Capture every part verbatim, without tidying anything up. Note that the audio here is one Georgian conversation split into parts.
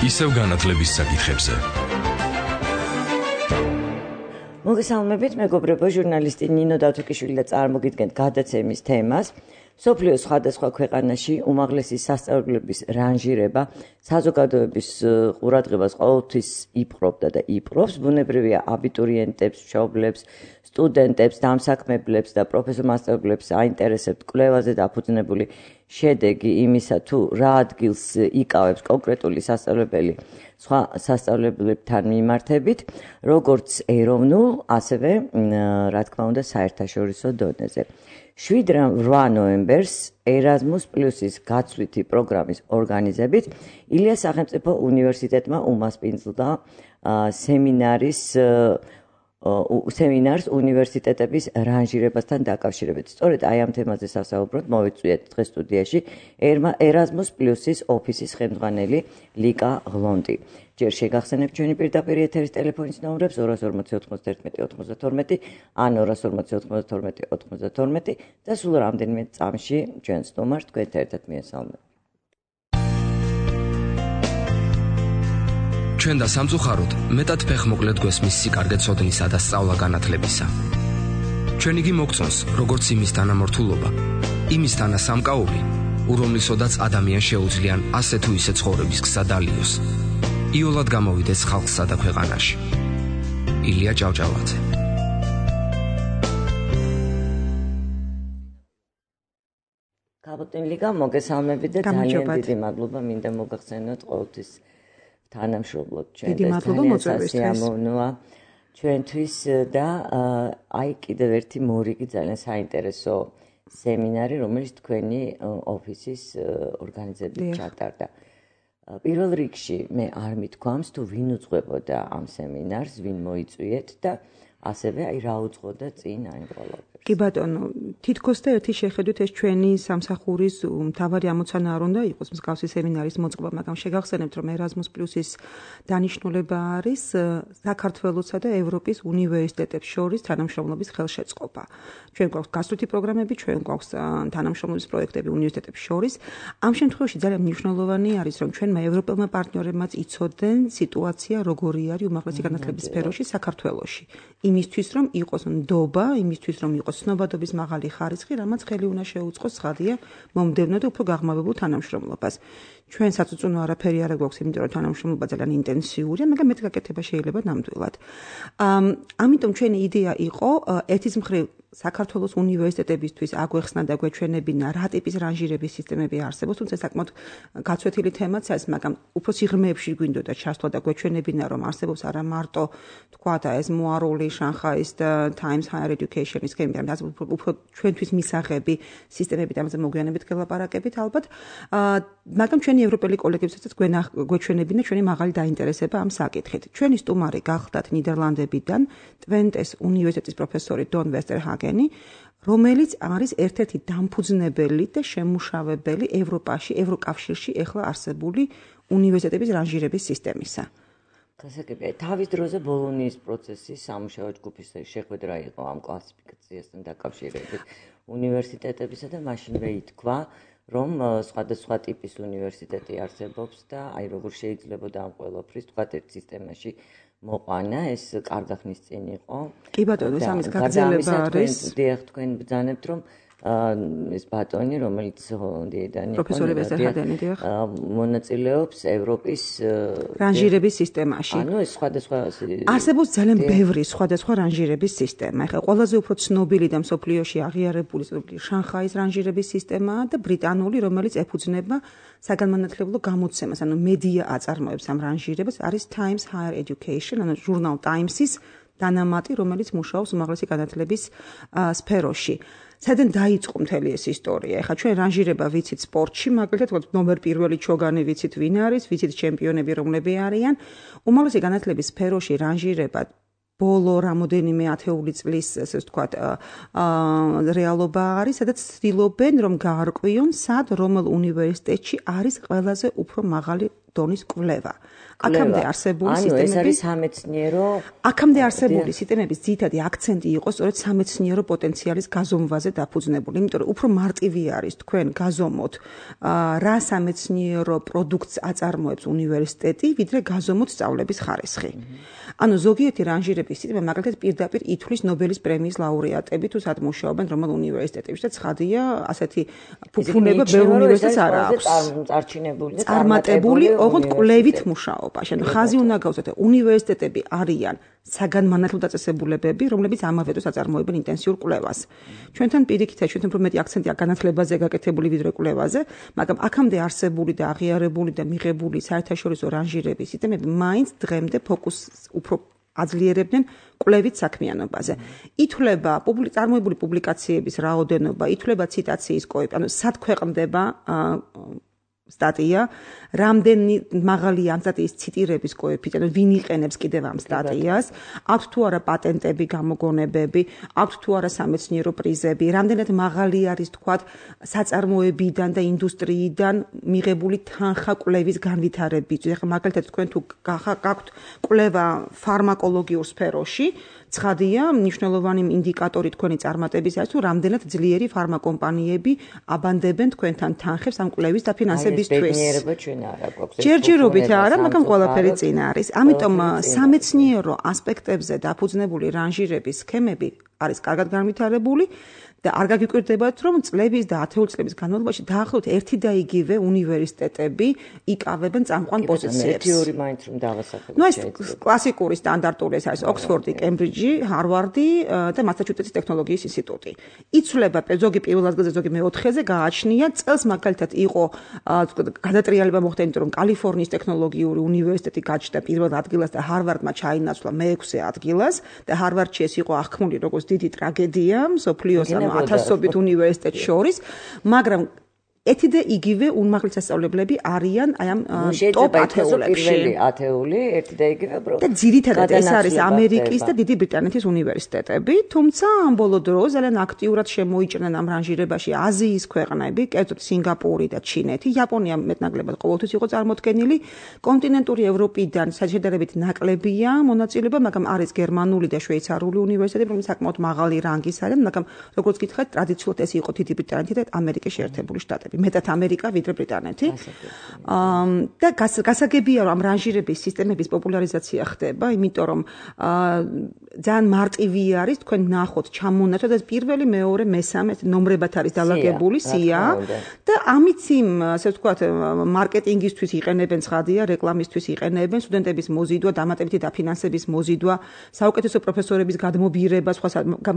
ისევ განათლების საკითხებზე. მოგესალმებით, მეგობრებო, ჟურნალისტი ნინო დავთოკიშვილი და წარმოგიდგენთ გადაცემის თემას. სოფლიოს სხვადასხვა ქვეყანაში უმაღლესი სასწავლებლების რანჟირება საზოგადოების ყურადღებას ყოველთვის იპყრობდა და იპყრობს. ბუნებრივია აბიტურიენტებს, მშობლებს, სტუდენტებს, დამსაქმებლებს და პროფესორ-მასწავლებლებს აინტერესებთ კვლევაზე დაფუძნებული შედეგი იმისა, თუ რა ადგილს იკავებს კონკრეტული სასწავლებელი სხვა სასწავლებლებთან მიმართებით, როგორც ეროვნულ, ასევე, რა თქმა უნდა, საერთაშორისო დონეზე. შვიდ ნოემბერს ერაზმუს პლუსის გაცვლითი პროგრამის ორგანიზებით ილიას სახელმწიფო უნივერსიტეტმა უმასპინძლა სემინარის სემინარს უნივერსიტეტების რანჟირებასთან დაკავშირებით. სწორედ აი ამ თემაზე სასაუბროდ მოვიწვიეთ დღეს სტუდიაში ერაზმუს პლუსის ოფისის ხელმძღვანელი ლიკა ღლონტი. ჯერ შეგახსენებთ ჩვენი პირდაპირ ეთერის ტელეფონის ნომრებს ორას ორმოცი ოთხმოცდაერთმეტი ოთხმოცდათორმეტი ან ორას ორმოცი ოთხმოცდათორმეტი ოთხმოცდათორმეტი და სულ რამდენიმე წამში ჩვენ სტუმარს თქვენ ერთად მიესალმებით. ჩვენ და სამწუხაროდ მეტად ფეხმოკლედ გვესმის სიკარგე ცოდნისა და სწავლა განათლებისა. ჩვენ იგი მოგწონს, როგორც იმის თანამორთულობა, იმის თანასამკაული, ურომლისოდაც ადამიანს შეუძლიან ასე თუ ისე ცხოვრების გზა დალიოს. იოლად გამოვიდეს ხალხსა და ქვეყანაში. ილია ჭავჭავაძე. გაბატონი ლიკა, მოგესალმებით და ძალიან დიდი მადლობა მინდა მოგახსენოთ ყოველთვის თანამშრომლობთ ჩვენ და სიამოვნოა ჩვენთვის და აი კიდევ ერთი მორიგი ძალიან საინტერესო სემინარი, რომელიც თქვენი ოფისის ორგანიზებით ჩატარდა. პირველ რიგში მე არ მithქვამს თუ ვინ უძღვებოდა ამ სემინარს, ვინ მოიწვიეთ და ასევე აი რა უძღვოდა წინ აი ყველაფერს. კი ბატონო, თითქოს და ერთი შეხედვით ეს ჩვენი სამსახურის მთავარი ამოცანა არ უნდა იყოს მსგავსი სემინარის მოწყობა, მაგრამ შეგახსენებთ, რომ ერაზმუს პლუსის დანიშნულება არის საქართველოსა და ევროპის უნივერსიტეტებს შორის თანამშრომლობის ხელშეწყობა. ჩვენ გვაქვს გასვლითი პროგრამები, ჩვენ გვაქვს თანამშრომლობის პროექტები უნივერსიტეტებს შორის. ამ შემთხვევაში ძალიან მნიშვნელოვანი არის, რომ ჩვენმა ევროპელმა პარტნიორებმაც იცოდნენ სიტუაცია როგორი არის უმაღლესი განათლების სფეროში საქართველოში. იმისთვის, რომ იყოს ნდობა, იმისთვის, რომ იყოს ცნობადობის მაღალი ხარისხი, რამაც ხელი უნდა შეუწყოს ცხადია მომდევნო და უფრო გაღრმავებულ თანამშრომლობას. ჩვენ საწუწუნო არაფერი არ გვაქვს, იმიტომ რომ თანამშრომლობა ძალიან ინტენსიურია, მაგრამ მეტ გაკეთება შეიძლება ნამდვილად. ამიტომ ჩვენი იდეა იყო ერთის მხრივ საქართველოს უნივერსიტეტებისთვის აგვეხსნა და გვეჩვენებინა რა ტიპის რანჟირების სისტემები არსებობს, თუმცა საკმაოდ გაცვეთილი თემაც არის, მაგრამ უფრო სიღრმეებში გვინდოდა ჩასვლა და გვეჩვენებინა, რომ არსებობს არა მარტო თქვა და ეს მოარული შანხაის და Times Higher Education-ის სქემები, მაგრამ უფრო ჩვენთვის მისაღები სისტემები და ამაზე მოგვიანებით გელაპარაკებით ალბათ. მაგრამ ჩვენი ევროპელი კოლეგებსაც გვეჩვენებინა ჩვენი მაღალი დაინტერესება ამ საკითხით. ჩვენი სტუმარი გახლდათ ნიდერლანდებიდან ტვენტეს უნივერსიტეტის პროფესორი დონ ვესტერჰაგენი, რომელიც არის ერთ-ერთი დამფუძნებელი და შემმუშავებელი ევროპაში, ევროკავშირში ეხლა არსებული უნივერსიტეტების რანჟირების სისტემისა. გასაგებია, თავის დროზე ბოლონიის პროცესის სამუშაო ჯგუფის შეხვედრა იყო ამ კლასიფიკაციასთან დაკავშირებით უნივერსიტეტებისა და მაშინვე ითქვა, რომ სხვადასხვა ტიპის უნივერსიტეტი არსებობს და აი როგორ შეიძლებოდა ამ ყველაფრის თქვა ერთ სისტემაში მოყვანა, ეს კარგა ხნის წინ იყო. კი ბატონო, ეს ამის გაგრძელება არის. დიახ, თქვენ ბრძანებთ, რომ ეს ბატონი, რომელიც დიედანი იყო, პროფესორი ვესტერჰაგენი, დიახ, მონაწილეობს ევროპის რანჟირების სისტემაში. ანუ ეს სხვადასხვა არსებობს ძალიან ბევრი სხვადასხვა რანჟირების სისტემა. ეხლა ყველაზე უფრო ცნობილი და მსოფლიოში აღიარებული შანხაის რანჟირების სისტემაა და ბრიტანული, რომელიც ეფუძნება საგანმანათლებლო გამოცემას, ანუ მედია აწარმოებს ამ რანჟირებას, არის Times Higher Education, ანუ ჟურნალ Times-ის დანამატი, რომელიც მუშაობს უმაღლესი განათლების სფეროში. სადან დაიწყო მთელი ეს ისტორია. ეხლა ჩვენ რანჟირება ვიცით სპორტში, მაგალითად, ნომერ პირველი ჩოგანი ვიცით ვინ არის, ვიცით ჩემპიონები რომლები არიან. უმაღლესი განათლების სფეროში რანჟირება ბოლო რამოდენიმე ათეული წლის, ესე ვთქვათ, რეალობა არის, სადაც ცდილობენ, რომ გაარკვიონ, სად რომელ უნივერსიტეტში არის ყველაზე უფრო მაღალი დონის კვლევა. აქამდე არსებული სისტემები, ანუ ეს არის სამეცნიერო, აქამდე არსებული სისტემების ძირითადი აქცენტი იყო სწორედ სამეცნიერო პოტენციალის გაზომვაზე დაფუძნებული, იმიტომ რომ უფრო მარტივი არის თქვენ გაზომოთ რა სამეცნიერო პროდუქტს აწარმოებს უნივერსიტეტი, ვიდრე გაზომოთ სწავლების ხარისხი. ანუ ზოგიერთი რანჟირების სისტემა მაგალითად პირდაპირ ითვლის ნობელის პრემიის ლაურეატები თუ სად მუშაობენ რომელ უნივერსიტეტებში და ცხადია ასეთი ფუფუნება ბევრ უნივერსიტეტს არ აქვს. წარჩინებული და წარმატებული, ოღონდ კვლევით მუშაობა. შენ ხაზი უნდა გავუწოდე, უნივერსიტეტები არიან საგანმანათლებლო დაწესებულებები, რომლებიც ამავე დროს აწარმოებენ ინტენსიურ კვლევას. ჩვენთან პირიქითაა, ჩვენთან უფრო მეტი აქცენტია განათლებაზე გაკეთებული ვიდრე კვლევაზე, მაგრამ აქამდე არსებული და აღიარებული და მიღებული საერთაშორისო რანჟირების სისტემები მაინც დღემდე ფოკუსს უფრო აძლიერებდნენ კვლევით საქმიანობაზე. ითვლება წარმოებული პუბლიკაციების რაოდენობა, ითვლება ციტაციის კოეფიციენტი, ანუ სად ქვეყნდება სტატია, რამდენი მაღალია ამ სტატიის ციტირების კოეფიციენტი, ვინ იყენებს კიდევ ამ სტატიას, აქვს თუ არა პატენტები, გამოგონებები, აქვს თუ არა სამეცნიერო პრიზები, რამდენად მაღალი არის თქვათ საწარმოებიდან და ინდუსტრიიდან მიღებული თანხა კვლევის განვითარებისთვის. ეხლა მაგალითად თქვენ თუ გაქვთ კვლევა ფარმაკოლოგიურ სფეროში, ცხადია, მნიშვნელოვანი ინდიკატორი თქვენი წარმატების არის თუ რამდენად ძლიერი ფარმაკომპანიები აბანდებენ თქვენთან თანხებს ამ კვლევის დაფინანსებისთვის. ჯერჯერობით არა, მაგრამ ყველაფერი წინ არის. ამიტომ სამეცნიერო ასპექტებზე დაფუძნებული რანჟირების სქემები არის კარგად განვითარებული და არ გაგიკვირდებათ, რომ წლების და ათეული წლების განმავლობაში დაახლოებით ერთი და იგივე უნივერსიტეტები იკავებენ წამყვან პოზიციებს. ერთი ორი მაინც რომ დავასახელოთ. ნუ ეს კლასიკური სტანდარტული ეს არის ოქსფორდი, კემბრიჯი, ჰარვარდი და მასაჩუსეტსის ტექნოლოგიის ინსტიტუტი. იცვლება ზოგი პირველ ადგილზე, ზოგი მეოთხეზე, გააჩნია წელს მაგალითად იყო გადატრიალება მოხდა, იმიტომ რომ კალიფორნიის ტექნოლოგიური უნივერსიტეტი გაჩნდა პირველ ადგილას და ჰარვარდმა ჩაინაცვლა მეექვსე ადგილას და ჰარვარდში ეს იყო აღქმული როგორც დიდი ტრაგედია მსოფლიოს ათასობით უნივერსიტეტს შორის, მაგრამ ერთი და იგივე უმაღლესი სასწავლებლები არიან აი ამ ტოპ ათეულებში. ათეული, ერთი და იგივე პრო. და ძირითადად ეს არის ამერიკის და დიდი ბრიტანეთის უნივერსიტეტები, თუმცა ამ ბოლო დროს ძალიან აქტიურად შემოიჭრნენ ამ რანჟირებაში აზიის ქვეყნები, კერძოდ სინგაპური და ჩინეთი, იაპონია მეტნაკლებად ყოველთვის იყო წარმოდგენილი, კონტინენტური ევროპიდან შედარებით ნაკლებია მონაწილეობა, მაგრამ არის გერმანული და შვეიცარიული უნივერსიტეტები, რომლებიც საკმაოდ მაღალი რანგის არიან, მაგრამ როგორც გითხარით, ტრადიციულად ეს იყო დიდი ბრიტანეთი და ამერიკის შეერთებული შტატები. მეტად ამერიკა ვიდრე ბრიტანეთი. და გასაგებია რომ ამ რანჟირების სისტემების პოპულარიზაცია ხდება, იმიტომ რომ ძალიან მარტივი არის თქვენ ნახოთ ჩამონაცვლად და პირველი, მეორე, მესამე ნომრებად არის დალაგებული სია და ამით იმ ასე ვთქვათ მარკეტინგისთვის იყენებენ ცხადია, რეკლამისთვის იყენებენ, სტუდენტების მოზიდვა, დამატებითი დაფინანსების მოზიდვა, საუკეთესო პროფესორების გადმობირება, სხვა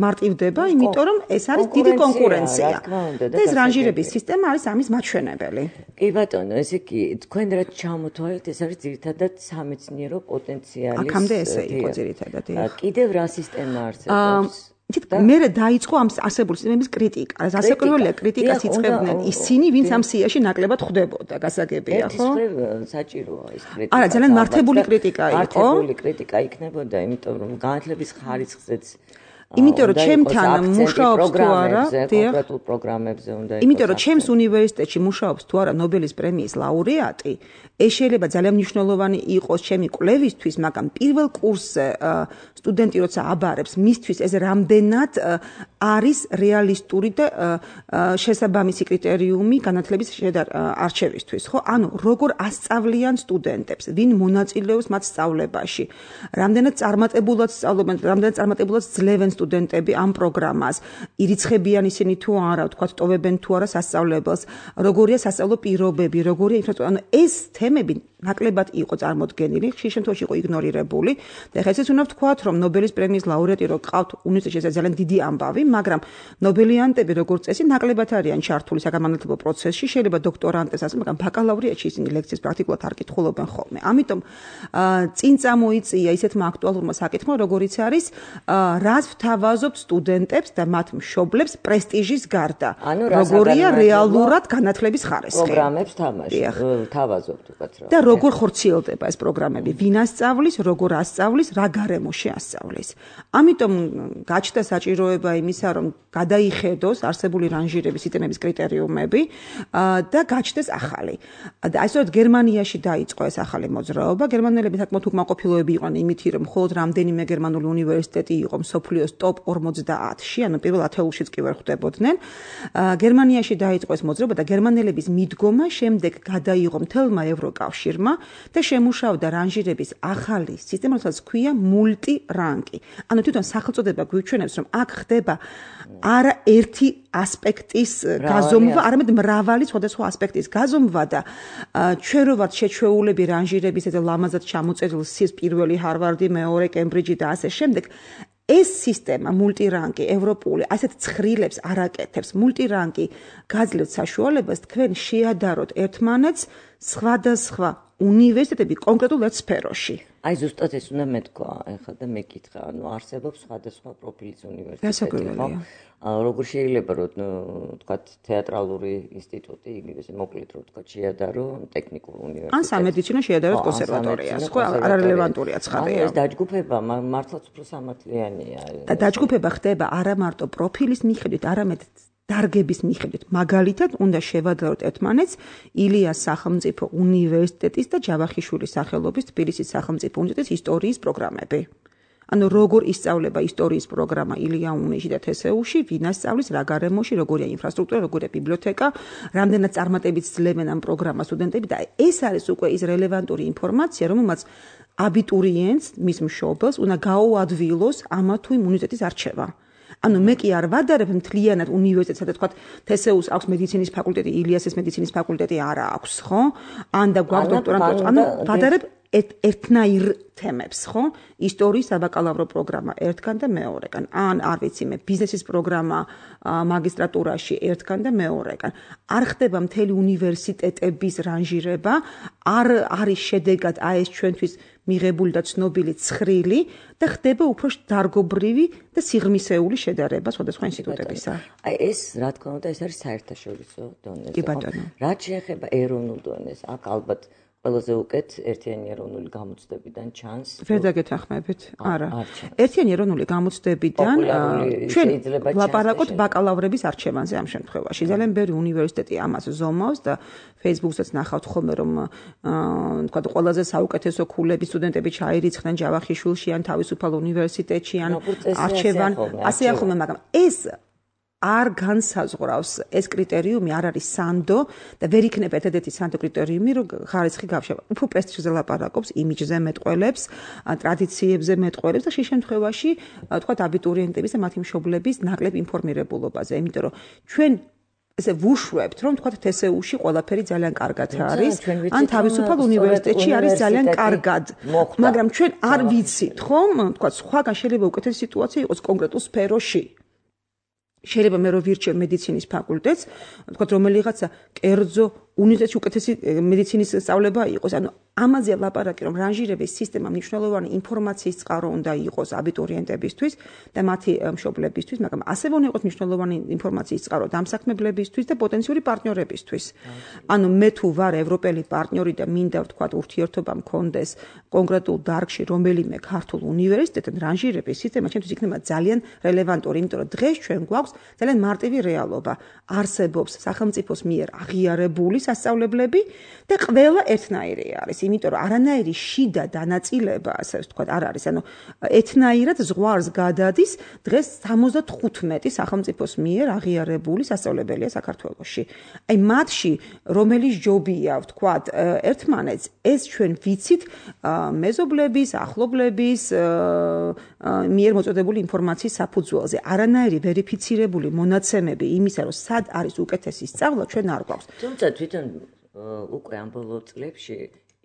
მარტივდება, იმიტომ რომ ეს არის დიდი კონკურენცია. და ეს რანჟირების სისტემა არის ამის მაჩვენებელი. კი ბატონო, ესე იგი, თქვენ რაც ჩამოთვალეთ, ეს არის ძირითადად სამეცნიერო პოტენციალის. აქამდე ესე იყო ძირითადად. კიდევ რა სისტემა არსებობს? მე დაიწყო ამ არსებული სისტემების κρიტიკა. ასაკურველია კრიტიკას იწყებდნენ ისინი, ვინც ამ სიაში ნაკლებად ხვდებოდა, გასაგებია, ხო? ეს საჭიროა ეს კრიტიკა. არა, ძალიან მართებული კრიტიკა იყო. მართებული კრიტიკა იქნებოდა, იმიტომ რომ განათლების ხარისხზეც იმიტომ რომ ჩემთან მუშაობს თუ არა, კონკრეტულ პროგრამებზე უნდა იყოს. იმიტომ რომ ჩემს უნივერსიტეტში მუშაობს თუ არა ნობელის პრემიის ლაურეატი, ეს შეიძლება ძალიან მნიშვნელოვანი იყოს ჩემი კვლევისთვის, მაგრამ პირველ კურსზე სტუდენტი როცა აბარებს, მისთვის ეს რამდენად არის რეალისტური და შესაბამისი კრიტერიუმი განათლების არჩევისთვის, ხო? ანუ როგორ ასწავლიან სტუდენტებს, ვინ მონაწილეობს მათ სწავლებაში, რამდენად წარმატებულად სწავლობენ, რამდენად წარმატებულად ძლევენ სტუდენტები ამ პროგრამას, ირიცხებიან ისინი თუ არა, ვთქვათ, ტოვებენ თუ არა სასწავლებელს, როგორია სასწავლო პირობები, როგორია ინფრასტრუქტურა, ანუ ეს თემები ნაკლებად იყო წარმოდგენილი, ხშირ შემთხვევაში იყო იგნორირებული. და ეხლა ესეც უნდა ვთქვათ, რომ ნობელის პრემიის ლაურეატი რო ყავთ უნივერსიტეტში, ეს ძალიან დიდი ამბავი, მაგრამ ნობელიანტები როგორც წესი ნაკლებად არიან ჩართული საგანმანათლებლო პროცესში, შეიძლება დოქტორანტეს ასე, მაგრამ ბაკალავრიატში ისინი ლექციებს პრაქტიკულად არ კითხულობენ ხოლმე. ამიტომ წინ წამოიწია ისეთმა აქტუალურმა საკითხმა, როგორიც არის რას ვთავაზობთ სტუდენტებს და მათ მშობლებს პრესტიჟის გარდა. როგორია რეალურად განათლების ხარისხი. პროგრამებს თამაში, ვთავაზობთ უკაც რა. და როგორ ხორციელდება ეს პროგრამები, ვინ ასწავლის, როგორ ასწავლის, რა გარემოში ასწავლის. ამიტომ გაჩნდა საჭიროება იმისა, რომ გადაიხედოს არსებული რანჟირების სისტემების კრიტერიუმები და გაჩნდეს ახალი. და აი სწორედ გერმანიაში დაიწყო ეს ახალი მოძრაობა. გერმანელები საკმაოდ უკმაყოფილოები იყვნენ იმით, რომ მხოლოდ რამდენიმე გერმანული უნივერსიტეტი იყო მსოფლიოს ტოპ ორმოცდაათში, ანუ პირველ ათეულშიც კი ვერ ხვდებოდნენ. გერმანიაში დაიწყო ეს მოძრაობა და გერმანელების მიდგომა შემდეგ გადაიღო მთელმა ევროკავშირმა და შემუშავდა რანჟირების ახალი სისტემა, რომელსაც ქვია მულტირანგი. ანუ თვითონ სახელწოდება გვიჩვენებს, რომ აქ ხდება არა ერთი ასპექტის გაზომვა, არამედ მრავალი სხვადასხვა ასპექტის გაზომვა და ჩვენ რო ვართ შეჩვეულები რანჟირების ეს ლამაზად ჩამოწერილ სის პირველი ჰარვარდი, მეორე კემბრიჯი და ასე შემდეგ. ეს სისტემა მულტირანგი ევროპული ასეთ ცხრილებს არ აკეთებს. მულტირანგი გაძლევთ საშუალებას თქვენ შეადაროთ ერთმანეთს სხვადასხვა უნივერსიტეტები კონკრეტულ ერთ სფეროში. აი ზუსტად ეს უნდა მეთქვა, ეხლა და მეკითხა, ანუ არსებობს სხვადასხვა პროფილის უნივერსიტეტები, ხო? როგორ შეიძლება რომ თქვათ თეატრალური ინსტიტუტი, იგივე მოკლედ რომ თქვათ შეადარო ტექნიკურ უნივერსიტეტს. ან სამედიცინო შეადაროთ კონსერვატორიას, ხო, არარელევანტურია ცხადია. ეს დაჯგუფება მართლაც უფრო სამართლიანია. და დაჯგუფება ხდება არა მარტო პროფილის მიხედვით, არამედ დარგების მიხედვით. მაგალითად, უნდა შევადაროთ ერთმანეთს ილიას სახელმწიფო უნივერსიტეტის და ჯავახიშვილის სახელობის თბილისის სახელმწიფო უნივერსიტეტის ისტორიის პროგრამები. ანუ როგორ ისწავლება ისტორიის პროგრამა ილია უნიში და თესეუში, ვინ ასწავლის, რა გარემოში, როგორია ინფრასტრუქტურა, როგორია ბიბლიოთეკა, რამდენად წარმატებით ძლებენ ამ პროგრამას სტუდენტები და ეს არის უკვე ის რელევანტური ინფორმაცია, რომელმაც აბიტურიენტს, მის მშობელს უნდა გაუადვილოს ამა თუ იმ უნივერსიტეტის არჩევა. ანუ მე კი არ ვადარებ მთლიანად უნივერსიტეტს, სადაც თქვა თესეუს აქვს მედიცინის ფაკულტეტი, ილიასის მედიცინის ფაკულტეტი არ აქვს, ხო? ან და გვაქვს დოქტორანტურა, ანუ ვადარებ ერთნაირ თემებს, ხო? ისტორიის საბაკალავრო პროგრამა ერთგან და მეორეგან. ან არ ვიცი მე, ბიზნესის პროგრამა მაგისტრატურაში ერთგან და მეორეგან. არ ხდება მთელი უნივერსიტეტების რანჟირება, არ არის შედეგად აი ეს ჩვენთვის მიღებული და ცნობილი ცხრილი და ხდება უფრო დარგობრივი და სიღრმისეული შედარება სხვადასხვა ინსტიტუტებისა. აი ეს, რა თქმა უნდა, ეს არის საერთაშორისო დონეზე. კი ბატონო. რაც შეეხება ეროვნულ დონეს, აქ ალბათ ყველაზე უკეთ ერთიანი ეროვნული გამოცდებიდან ჩანს. ვერ დაგეთანხმებით? არა. ერთიანი ეროვნული გამოცდებიდან ჩვენ ვლაპარაკობთ ბაკალავრების არჩევანზე ამ შემთხვევაში. ძალიან ბევრი უნივერსიტეტი ამას ზომავს და Facebook-საც ნახავთ ხოლმე, რომ თქვა ყველაზე საუკეთესო ქულები სტუდენტები ჩაირიცხნენ ჯავახიშვილში ან თავისუფალ უნივერსიტეტში ან არჩევან ასე ახლა, მაგრამ ეს არ განსაზღვრავს ეს კრიტერიუმი არ არის სანდო და ვერ იქნება ერთადერთი სანდო კრიტერიუმი რომ ხარისხი გავშევა. უფრო პრესტიჟზე ლაპარაკობს, იმიჯზე მეტყველებს, ტრადიციებზე მეტყველებს და შე შემთხვევაში თქვათ აბიტურიენტების და მათი მშობლების ნაკლებ ინფორმირებულობაზე, იმიტომ რომ ჩვენ ესე ვუშვებთ რომ თქვათ თესეუში ყველაფერი ძალიან კარგად არის, ან თავისუფალ უნივერსიტეტში არის ძალიან კარგად. მაგრამ ჩვენ არ ვიცით, ხომ? თქვათ სხვაგან შეიძლება უკეთესი სიტუაცია იყოს კონკრეტულ სფეროში. შეიძლება მე რო ვირჩევ მედიცინის ფაკულტეტს, თქვათ რომელიღაცა კერძო უნივერსიტეტში უკეთესი მედიცინის სწავლება იყოს. ანუ ამაზე ლაპარაკი რომ რანჟირების სისტემა მნიშვნელოვანი ინფორმაციის წყარო უნდა იყოს აბიტურიენტებისთვის და მათი მშობლებისთვის, მაგრამ ასევე უნდა იყოს მნიშვნელოვანი ინფორმაციის წყარო დამსაქმებლებისთვის და პოტენციური პარტნიორებისთვის. ანუ მე თუ ვარ ევროპელი პარტნიორი და მინდა ვთქვათ ურთიერთობა მქონდეს კონკრეტულ დარგში რომელიმე ქართულ უნივერსიტეტთან, რანჟირების სისტემა ჩემთვის იქნება ძალიან რელევანტური, იმიტომ რომ დღეს ჩვენ გვაქვს ძალიან მარტივი რეალობა. არსებობს სახელმწიფოს მიერ აღიარებული სასწავლებლები და ყველა ერთნაირი არის, იმიტომ რომ არანაირი შიდა დანაწილება, ასე ვთქვათ, არ არის. ანუ ერთნაირად ზღვარს გადადის დღეს სამოცდათხუთმეტი სახელმწიფოს მიერ აღიარებული სასწავლებელია საქართველოში. აი მათში რომელიც ჯობია, ვთქვათ, ერთმანეთს ეს ჩვენ ვიცით მეზობლების, ახლობლების მიერ მოწოდებული ინფორმაციის საფუძველზე. არანაირი ვერიფიცირებული მონაცემები იმისა, რომ სად არის უკეთესი სწავლა, ჩვენ არ გვაქვს. თუმცა თვითონ უკვე ამ ბოლო წლებში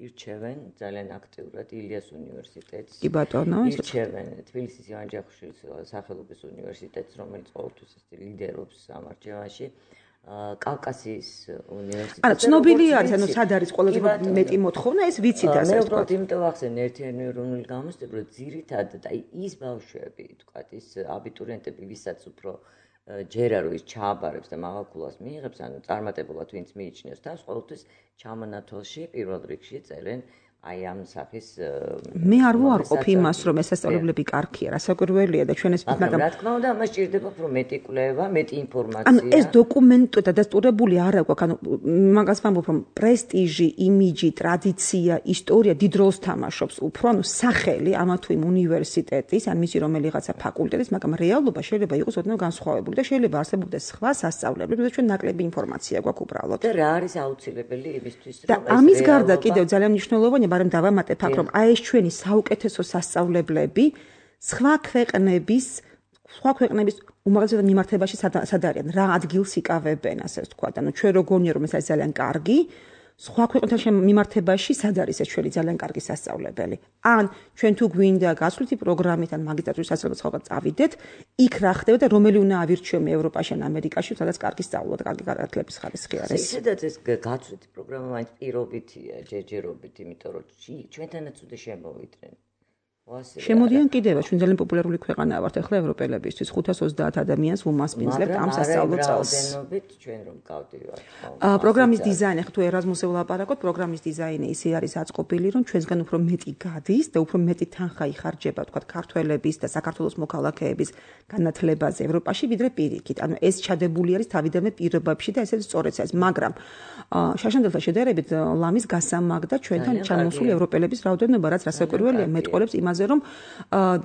ირჩევენ ძალიან აქტიურად ილიას უნივერსიტეტს. კი ბატონო, ირჩევენ თბილისის ივან ჯავახიშვილის სახელობის უნივერსიტეტს, რომელიც ყოველთვის ლიდერობს ამ არჩევანში. კავკასიის უნივერსიტეტი. ანუ ცნობილი არის, ანუ სად არის ყველაზე მეტი მოთხოვნა, ეს ვიცით ასე ვთქვათ. მე ვთქვათ, იმიტომ ახსენ ერთიანი ეროვნული გამოცდები, რომ ძირითადად აი ის ბავშვები, ვთქვათ, ის აბიტურიენტები, ვისაც უფრო ჯერა რო ის ჩააბარებს და მაღალქულას მიიღებს, ანუ წარმატებულად ვინც მიიჩნევს თავს, ყოველთვის ჩამონათვალში პირველ რიგში წერენ აი ამ სახის მე არ ვუარყოფ იმას, რომ ესწავლებლები კარგია, რასაკვირველია და ჩვენ ეს მაგრამ რა თქმა უნდა, ამას ჭირდება უფრო მეტი კვლევა, მეტი ინფორმაცია. ანუ ეს დოკუმენტო დადასტურებული არ აქვს, ანუ მაგას ვამბობ, რომ პრესტიჟი, იმიჯი, ტრადიცია, ისტორია დიდ როლს თამაშობს, უფრო ანუ სახელი ამა თუ იმ უნივერსიტეტის, ან მისი რომელიღაცა ფაკულტეტის, მაგრამ რეალობა შეიძლება იყოს ოდნავ განსხვავებული და შეიძლება არსებობდეს სხვა სასწავლებლები, როდესაც ჩვენ ნაკლები ინფორმაცია გვაქვს უბრალოდ. და რა არის აუცილებელი იმისთვის, რომ ეს ამის გარდა კიდევ ძალიან მნიშვნელოვანია მაგრამ დავამატებ აქ რომ აი ეს ჩვენი საუკეთესო სასწავლებლები სხვა ქვეყნების სხვა ქვეყნების უმაღლესად მიმართებაში სად არიან რა ადგილს იკავებენ ასე ვთქვათ ანუ ჩვენ როგორია რომ ეს არის ძალიან კარგი სხვა ქვეყნებთან მიმართებაში სად არის ეს ჩვენი ძალიან კარგი სასწავლებელი ან ჩვენ თუ გვინდა გასვლითი პროგრამით ან მაგისტრატურის სასწავლებლად სხვა წავიდეთ იქ რა ხდება და რომელი უნდა ავირჩიო ამერიკაში ან ამერიკაში სადაც კარგი სწავლა და კარგი განათლების ხარისხი არის ისედაც ეს გასვლითი პროგრამა მაინც პირობითია ჯერჯერობით იმიტომ რომ ჩვენთანაც უნდა შემოვიდნენ შემოდიან კიდევა ჩვენ ძალიან პოპულარული ქვეყანა ვართ ახლა ევროპელებისთვის ხუთას ოცდაათ ადამიანს ვუმასპინძლებთ ამ სასწავლო წელს. მაგრამ ჩვენ რომ გავდივართ. პროგრამის დიზაინი ახლა თუ ერაზმუსზე ვლაპარაკოთ, პროგრამის დიზაინი ისე არის აწყობილი, რომ ჩვენსგან უფრო მეტი გადის და უფრო მეტი თანხა იხარჯება, თქვა ქართველების და საქართველოს მოქალაქეების განათლებაზე ევროპაში, ვიდრე პირიქით. ანუ ეს ჩადებული არის თავიდანვე პირობებში და ესეც სწორედაც არის, მაგრამ შაშანდელთან შედარებით ლამის გასამაგდა ჩვენთან ჩამოსული ევროპელების რაოდენობა, რაც რასაკვირველია, მეტყოლებს იმას რომ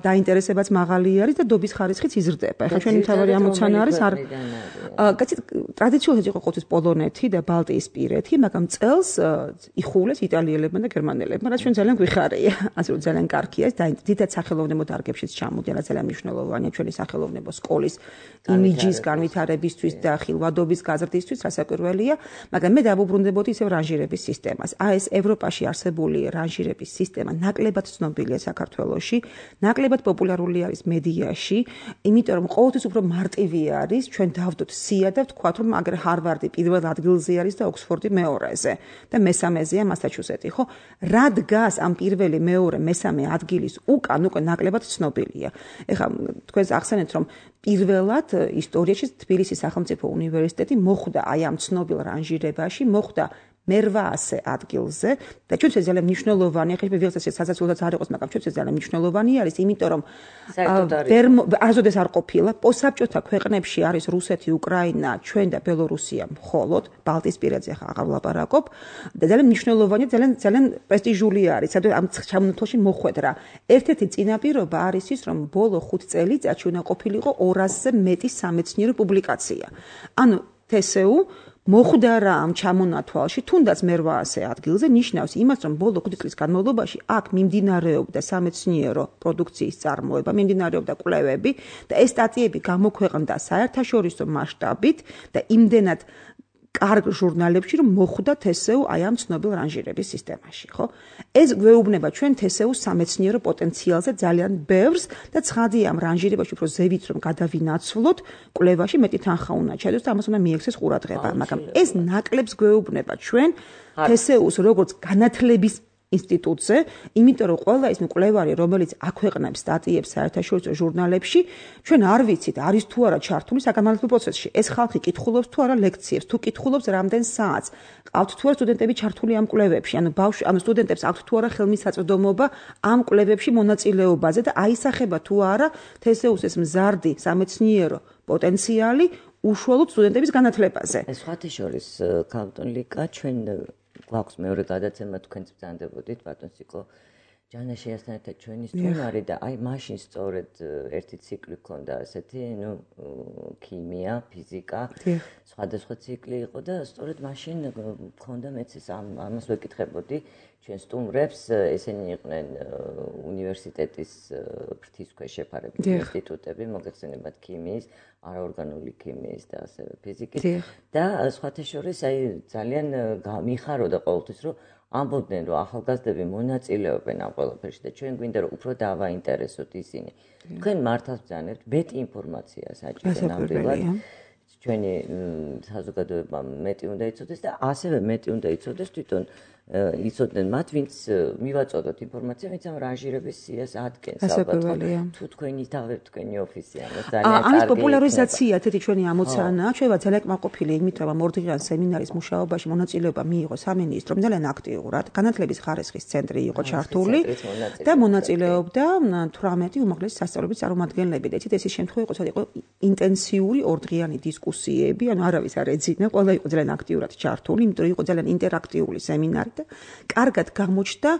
დაინტერესებაც მაღალი არის და დობის ხარისხიც იზრდება. ახლა ჩვენი მთავარი ამოცანა არის არ კაცით ტრადიციულად იყო ყოველთვის პოლონეთი და ბალტიისპირეთი, მაგრამ წელს იხულეს იტალიელებმა და გერმანელებმა, რაც ჩვენ ძალიან გვიხარია. ასე რომ ძალიან კარგია და დიდად სახელოვნებო დარგებშიც ჩამოდიან, რაც ძალიან მნიშვნელოვანია ჩვენი სახელოვნებო სკოლის იმიჯის განვითარებისთვის და ხილვადობის გაზრდისთვის, რასაკვირველია, მაგრამ მე დავუბრუნდებოდი ისევ რანჟირების სისტემას. აი ეს ევროპაში არსებული რანჟირების სისტემა ნაკლებად ცნობილია საქართველოში. ნაკლებად პოპულარული არის მედიაში, იმიტომ რომ ყოველთვის უფრო მარტივი არის, ჩვენ დავდოთ სია და ვთქვათ, რომ აგერ ჰარვარდი პირველ ადგილზე არის და ოქსფორდი მეორეზე და მესამეზეა მასაჩუსეტი, ხო? რა დგას ამ პირველი, მეორე, მესამე ადგილის უკან, უკვე ნაკლებად ცნობილია. ეხლა თქვენს ახსენეთ, რომ პირველად ისტორიაში თბილისის სახელმწიფო უნივერსიტეტი მოხვდა აი ამ ცნობილ რანჟირებაში, მოხვდა მერვაასე ადგილზე და ჩვენც ეს ძალიან მნიშვნელოვანია, ხე ვიღაცას სასაცილოც არ იყოს, მაგრამ ჩვენც ეს ძალიან მნიშვნელოვანი არის, იმიტომ რომ არასოდეს არ ყოფილა, პოსტსაბჭოთა ქვეყნებში არის რუსეთი, უკრაინა, ჩვენ და ბელორუსია მხოლოდ, ბალტიისპირეთზე ხა აღარ ვლაპარაკობ და ძალიან მნიშვნელოვანია, ძალიან ძალიან პრესტიჟული არის, სადაც ამ ჩამონათვალში მოხვედრა. ერთ-ერთი წინაპირობა არის ის, რომ ბოლო ხუთ წელიწადში უნდა ყოფილიყო ორასზე მეტი სამეცნიერო პუბლიკაცია. ანუ თსუ მოხვდა რა ამ ჩამონათვალში, თუნდაც მერვაასე ადგილზე ნიშნავს იმას, რომ ბოლო ხუთი წლის განმავლობაში აქ მიმდინარეობდა სამეცნიერო პროდუქციის წარმოება, მიმდინარეობდა კვლევები და ეს სტატიები გამოქვეყნდა საერთაშორისო მასშტაბით და იმდენად კარგ ჟურნალებში, რომ მოხვდა თსუ აი ამ ცნობილ რანჟირების სისტემაში, ხო? ეს გვეუბნება ჩვენ თსუს სამეცნიერო პოტენციალზე ძალიან ბევრს და ცხადია ამ რანჟირებაში უფრო ზევით რომ გადავინაცვლოთ, კვლევაში მეტი თანხა უნდა ჩადოს და ამას უნდა მიექცეს ყურადღება, მაგრამ ეს ნაკლებს გვეუბნება ჩვენ თსუს როგორც განათლების ინსტიტუტზე, იმიტომ რომ ყველა ის მკვლევარი, რომელიც აქვეყნებს სტატიებს საერთაშორისო ჟურნალებში, ჩვენ არ ვიცით, არის თუ არა ჩართული საგანმანათლებლო პროცესში. ეს ხალხი კითხულობს თუ არა ლექციებს, თუ კითხულობს რამდენ საათს, ყავთ თუ არა სტუდენტები ჩართული ამ კვლევებში, ანუ ბავშვი, ანუ სტუდენტებს აქვთ თუ არა ხელმისაწვდომობა ამ კვლევებში მონაწილეობაზე და აისახება თუ არა თსუს ეს მზარდი სამეცნიერო პოტენციალი უშუალოდ სტუდენტების განათლებაზე. სხვათა შორის, ქალბატონ ლიკა, ჩვენ გვაქვს მეორე გადაცემა თქვენც ბრძანდებოდით ბატონ სიკო ჯანაშიასთან ერთად ჩვენი სტუმარი და აი მაშინ სწორედ ერთი ციკლი ჰქონდა ასეთი, ნუ ქიმია, ფიზიკა, სხვადასხვა ციკლი იყო და სწორედ მაშინ ჰქონდა მეც ეს ამას ვეკითხებოდი ჩვენ სტუმრებს, ესენი იყვნენ უნივერსიტეტის ფრთის ქვეშ შეფარებულ ინსტიტუტები, მოგეხსენებათ ქიმიის, არაორგანული ქიმიის და ასევე ფიზიკის და სხვათა შორის აი ძალიან მიხაროდა ყოველთვის რომ ამბობდნენ რომ ახალგაზრდები მონაწილეობენ ამ ყველაფერში და ჩვენ გვინდა რომ უფრო დავაინტერესოთ ისინი. თქვენ მართავს ბრძანებთ მეტი ინფორმაცია საჭირო ნამდვილად. ჩვენი საზოგადოება მეტი უნდა იცოდეს და ასევე მეტი უნდა იცოდეს თვითონ იცოდნენ მათ, ვინც მივაწოდოთ ინფორმაცია, ვინც ამ რანჟირების სიას ადგენს ალბათ. თუ თქვენი თავი თქვენი ოფისიანო ძალიან კარგი. ამის პოპულარიზაცია თეთი ჩვენი ამოცანაა. ჩვენ ვარ ძალიან კმაყოფილი იმით, რომ ორდღიან სემინარის მუშაობაში მონაწილეობა მიიღო სამინისტრომ ძალიან აქტიურად. განათლების ხარისხის ცენტრი იყო ჩართული და მონაწილეობდა თვრამეტი უმაღლესი სასწავლებლების წარმომადგენლები. და იცით ეს ის შემთხვევა იყო, სადაც იყო ინტენსიური ორდღიანი დისკუსიები, ანუ არავის არ ეძინა, ყველა იყო ძალიან აქტიურად ჩართული, იმიტომ რომ იყო ძალიან ინტერაქტიული სემინარი და კარგად გამოჩნდა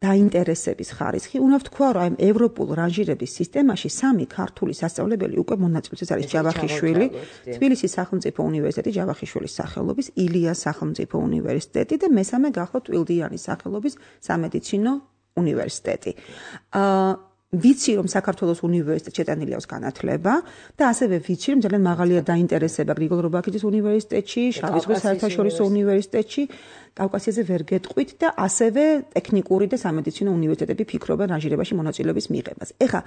დაინტერესების ხარისხი. უნდა ვთქვა, რომ აი ევროპულ რანჟირების სისტემაში სამი ქართული სასწავლებელი უკვე მონაწილეობს. ეს არის ჯავახიშვილი, თბილისის სახელმწიფო უნივერსიტეტი ჯავახიშვილის სახელობის, ილიას სახელმწიფო უნივერსიტეტი და მესამე გახლავთ ტვილდიანის სახელობის სამედიცინო უნივერსიტეტი. აა ვიცი რომ საქართველოს უნივერსიტეტში შეტანილი აქვს განათლება და ასევე ვიცი რომ ძალიან მაღალია დაინტერესება გრიგოლ რობაქიძის უნივერსიტეტში, შავი ზღვის საერთაშორისო უნივერსიტეტში, კავკასიაზე ვერ გეტყვით და ასევე ტექნიკური და სამედიცინო უნივერსიტეტები ფიქრობენ რანჟირებაში მონაწილეობის მიღებას. ეხლა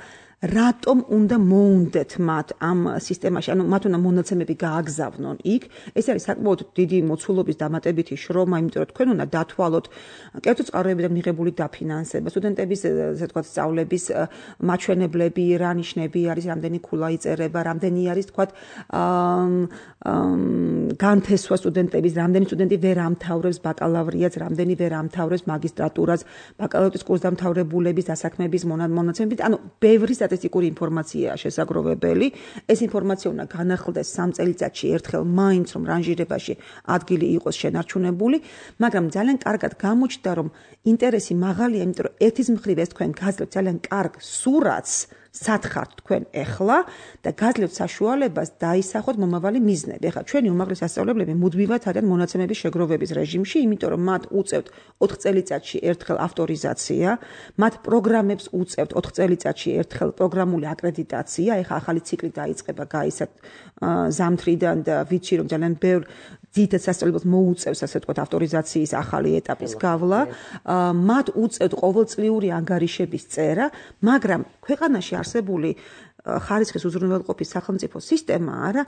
რატომ უნდა მოუნდეთ მათ ამ სისტემაში, ანუ მათ უნდა მონაცემები გააგზავნონ იქ? ეს არის საკმაოდ დიდი მოცულობის დამატებითი შრომა, იმიტომ რომ თქვენ უნდა დათვალოთ კერძო წყაროებიდან მიღებული დაფინანსება, სტუდენტების ესე ვთქვათ სწავლების მაჩვენებლები, რა ნიშნები არის, რამდენი ქულა იწერება, რამდენი არის თქვათ განთესვა სტუდენტების, რამდენი სტუდენტი ვერ ამთავრებს ბაკალავრიატს, რამდენი ვერ ამთავრებს მაგისტრატურას, ბაკალავრის კურსდამთავრებულების დასაქმების მონაცემებით, ანუ ბევრი სტატისტიკური ინფორმაციაა შესაგროვებელი. ეს ინფორმაცია უნდა განახლდეს სამ წელიწადში ერთხელ მაინც რომ რანჟირებაში ადგილი იყოს შენარჩუნებული, მაგრამ ძალიან კარგად გამოჩნდა რომ ინტერესი მაღალია, იმიტომ რომ ერთის მხრივ ეს თქვენ გაძლევთ ძალიან კარგ სურათს სათხართ თქვენ ეხლა და გაძლევთ საშუალებას დაისახოთ მომავალი მიზნები. ეხლა ჩვენი უმაღლესი სასწავლებლები მუდმივად არიან მონაცემების შეგროვების რეჟიმში, იმიტომ რომ მათ უწევთ ოთხ წელიწადში ერთხელ ავტორიზაცია, მათ პროგრამებს უწევთ ოთხ წელიწადში ერთხელ პროგრამული აკრედიტაცია. ეხლა ახალი ციკლი დაიწყება გაისად ზამთრიდან და ვიცი რომ ძალიან ბევრ ძირითად სასწავლებელს მოუწევს ასე ვთქვათ ავტორიზაციის ახალი ეტაპის გავლა. მათ უწევთ ყოველწლიური ანგარიშების წერა, მაგრამ ქვეყანაში არსებული ხარისხის უზრუნველყოფის სახელმწიფო სისტემა არა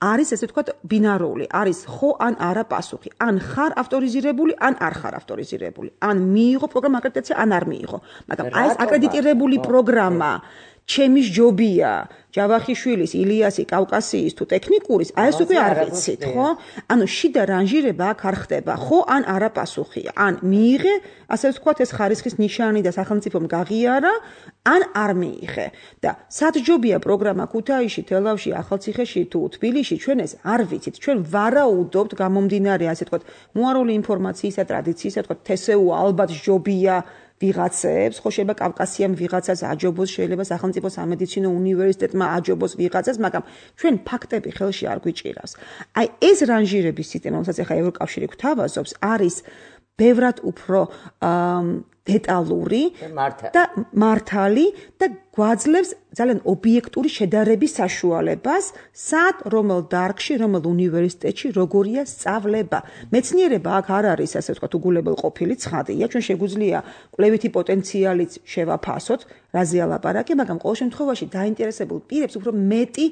არის ესე ვთქვათ ბინარული, არის ხო ან არა პასუხი. ან ხარ ავტორიზირებული, ან არ ხარ ავტორიზირებული. ან მიიღო პროგრამა აკრედიტაცია, ან არ მიიღო. მაგრამ აი ეს აკრედიტირებული პროგრამა ჩემის ჯობია, ჯავახიშვილის, ილიასი, კავკასიის თუ ტექნიკურის, აი ეს უკვე არ ვიცით, ხო? ანუ შიდა რანჟირება აქ არ ხდება, ხო ან არა პასუხია. ან მიიღე, ასე ვთქვათ, ეს ხარისხის ნიშანი და სახელმწიფომ გაღიარა, ან არ მიიღე. და სად ჯობია პროგრამა ქუთაისში, თელავში, ახალციხეში თუ თბილისში, ჩვენ ეს არ ვიცით. ჩვენ ვარაუდობთ გამომდინარე, ასე ვთქვათ, მოარული ინფორმაციისა, ტრადიციისა, ვთქვათ, თესეუ ალბათ ჯობია ვიღაცებს, ხო შეიძლება კავკასიამ ვიღაცას აჯობოს, შეიძლება სახელმწიფო სამედიცინო უნივერსიტეტმა აჯობოს ვიღაცას, მაგრამ ჩვენ ფაქტები ხელში არ გვიჭირავს. აი ეს რანჟირების სისტემა, რომელსაც ახლა ევროკავშირი გვთავაზობს, არის ბევრად უფრო დეტალური და მართალი და გვაძლევს ძალიან ობიექტური შედარების საშუალებას, სად, რომელ დარგში, რომელ უნივერსიტეტში, როგორია სწავლება. მეცნიერება აქ არ არის, ასე ვთქვათ, უგულებელ ყოფილი ცხადია, ჩვენ შეგვიძლია კვლევითი პოტენციალიც შევაფასოთ, რაზეა ლაპარაკი, მაგრამ ყოველ შემთხვევაში დაინტერესებულ პირებს უფრო მეტი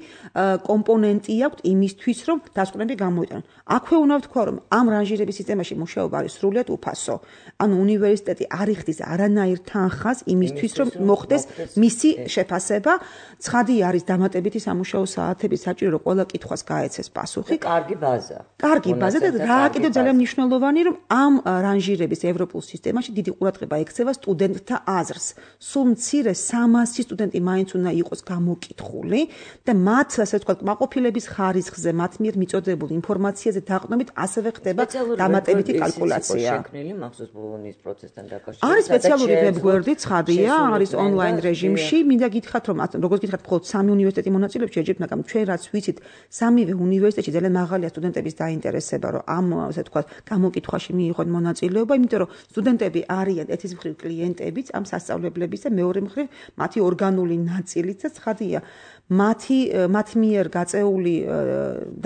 კომპონენტი აქვს იმისთვის, რომ დასკვნები გამოიტანონ. აქვე უნდა ვთქვა, რომ ამ რანჟირების სისტემაში მუშაობა არის სრულიად უფასო. ანუ უნივერსიტეტი არ იხდის არანაირ თანხას იმისთვის, რომ მოხდეს მისი შეფასება. ცხადი არის დამატებითი სამუშაო საათების საჭირო, რომ ყველა კითხვას გაეცეს პასუხი. კარგი ბაზა. კარგი ბაზა და რა კიდევ ძალიან მნიშვნელოვანი, რომ ამ რანჟირების ევროპულ სისტემაში დიდი ყურადღება ექცევა სტუდენტთა აზრს. სულ მცირე სამასი სტუდენტი მაინც უნდა იყოს გამოკითხული და მათ, ასე ვთქვათ, კმაყოფილების ხარისხზე, მათ მიერ მიწოდებულ ინფორმაციაზე დაყრდნობით ასევე ხდება დამატებითი კალკულაცია. შექმნილი მახსოვს ბოლონის პროცესთან დაკავშირებით. არის სპეციალური ვებგვერდი, ცხადია, არის ონლაინ რეჟიმში. მინდა გითხრათ, რომ როგორც გითხრათ, მხოლოდ სამი უნივერსიტეტი მონაწილეობს შეჯერთ, მაგრამ ჩვენ რაც ვიცით, სამივე უნივერსიტეტში ძალიან მაღალია სტუდენტების დაინტერესება, რომ ამ, ასე ვთქვათ, გამოკითხვაში მიიღონ მონაწილეობა, იმიტომ რომ სტუდენტები არიან ერთის მხრივ კლიენტებიც ამ სასწავლებლების და მეორე მხრივ მათი ორგანული ნაწილიც და ცხადია, მათი მათ მიერ გაწეული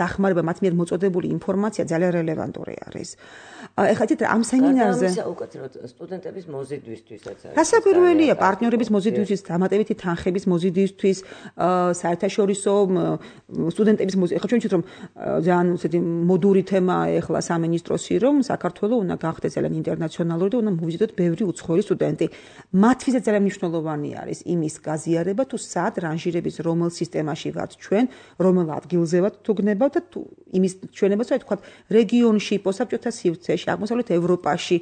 დახმარება, მათ მიერ მოწოდებული ინფორმაცია ძალიან რელევანტური არის. ეხლა თით ამ სემინარზე უკეთრად სტუდენტების მოზიდვისთვისაც არის. გასაკვირველია პარტნიორების მოზიდვისთვის, დამატებითი თანხების მოზიდვისთვის, საერთაშორისო სტუდენტების მოზიდვისთვის. ეხლა ჩვენ ვთქვით რომ ძალიან ისეთი მოდური თემაა ეხლა სამინისტროსი რომ საქართველოს უნდა გახდეს ძალიან ინტერნაციონალური და უნდა მოვიზიდოთ ბევრი უცხოელი სტუდენტი. მათთვისაც ძალიან მნიშვნელოვანი არის იმის გაზიარება თუ სად რანჟირების რომელ სისტემაში ვართ ჩვენ, რომელ ადგილზე ვართ თუ გნებავთ და თუ იმის ჩვენებას რა თქვა რეგიონში, პოსტსაბჭოთა სივრცეში, აღმოსავლეთ ევროპაში,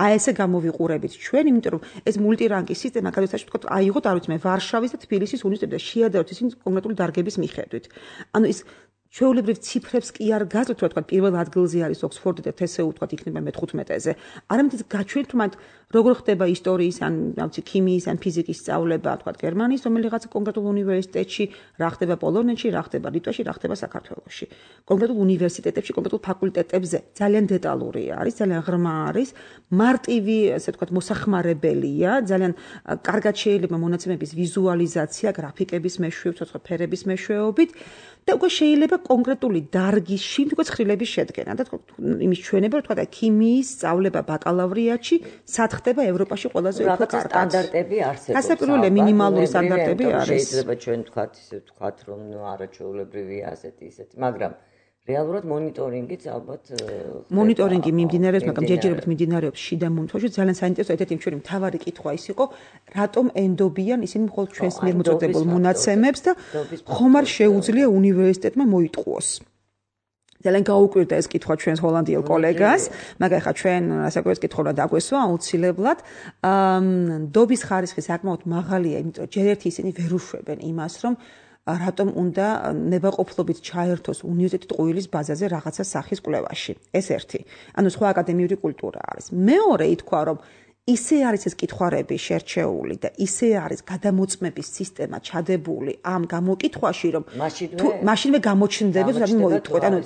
აი ესე გამოვიყურებით ჩვენ, იმიტომ რომ ეს მულტირანგის სისტემა გადასაშ თქვა აიღოთ, არ ვიცი მე, ვარშავის და თბილისის უნივერსიტეტებში და შეადაროთ ისინი კონკრეტული დარგების მიხედვით. ანუ ის ჩვეულებრივ ციფრებს კი არ გაძლევთ, რა თქვა, პირველ ადგილზე არის ოქსფორდი და თე ეს იუ თქვა იქნება მეთერთმეტეზე. არამედ ის გაჩვენთ, რომ როგორ ხდება ისტორიის ან რა ვიცი, ქიმიის ან ფიზიკის სწავლება, თქვა, გერმანიის რომელიღაც კონკრეტულ უნივერსიტეტში, რა ხდება პოლონეთში, რა ხდება ლიტვაში, რა ხდება საქართველოში. კონკრეტულ უნივერსიტეტებში, კონკრეტულ ფაკულტეტებზე ძალიან დეტალური არის, ძალიან ღრმა არის, მარტივი, ასე თქვა, მოსახმარებელია, ძალიან კარგად შეიძლება მონაცემების ვიზუალიზაცია, გრაფიკების მეშვეობით, ცოცხლ ფერების მეშვეობით და უკვე შეიძლება კონკრეტული დარგის შიმდგომი ცხრილების შედგენა და იმის ჩვენება, რა თქვა და ქიმიის სწავლება ბაკალავრიატში სად ხდება ევროპაში ყველაზე უფრო კარგად. სტანდარტები არსებობს. გასაკვირველია მინიმალური სტანდარტები არის. შეიძლება ჩვენ ვთქვათ, ისე ვთქვათ, რომ ნუ არაჩვეულებრივია ასეთი ისეთი, მაგრამ რეალურად მონიტორინგიც ალბათ მონიტორინგი მიმდინარეობს, მაგრამ ჯერჯერობით მიმდინარეობს შიდა მომთხოვში. ძალიან საინტერესო ერთ-ერთი ჩვენი მთავარი კითხვა ის იყო, რატომ ენდობიან ისინი მხოლოდ ჩვენს მიერ მოწოდებულ მონაცემებს და ხომ არ შეუძლია უნივერსიტეტმა მოიტყუოს. ძალიან გაუკვირდა ეს კითხვა ჩვენს ჰოლანდიელ კოლეგას, მაგრამ ახლა ჩვენ ასაკოვეს კითხვა უნდა დაგვესვა აუცილებლად. ნდობის ხარისხი საკმაოდ მაღალია, იმიტომ რომ ჯერ ერთი ისინი ვერ უშვებენ იმას, რომ რატომ უნდა ნებაყოფლობით ჩაერთოს უნივერსიტეტი ტყუილის ბაზაზე რაღაცა სახის კვლევაში. ეს ერთი. ანუ სხვა აკადემიური კულტურა არის. მეორე ითქვა, რომ ისე არის ეს კითხვარები შერჩეული და ისე არის გადამოწმების სისტემა ჩადებული ამ გამოკითხვაში, რომ თუ მაშინვე გამოჩნდება, რომ მოიტყვეთ, ანუ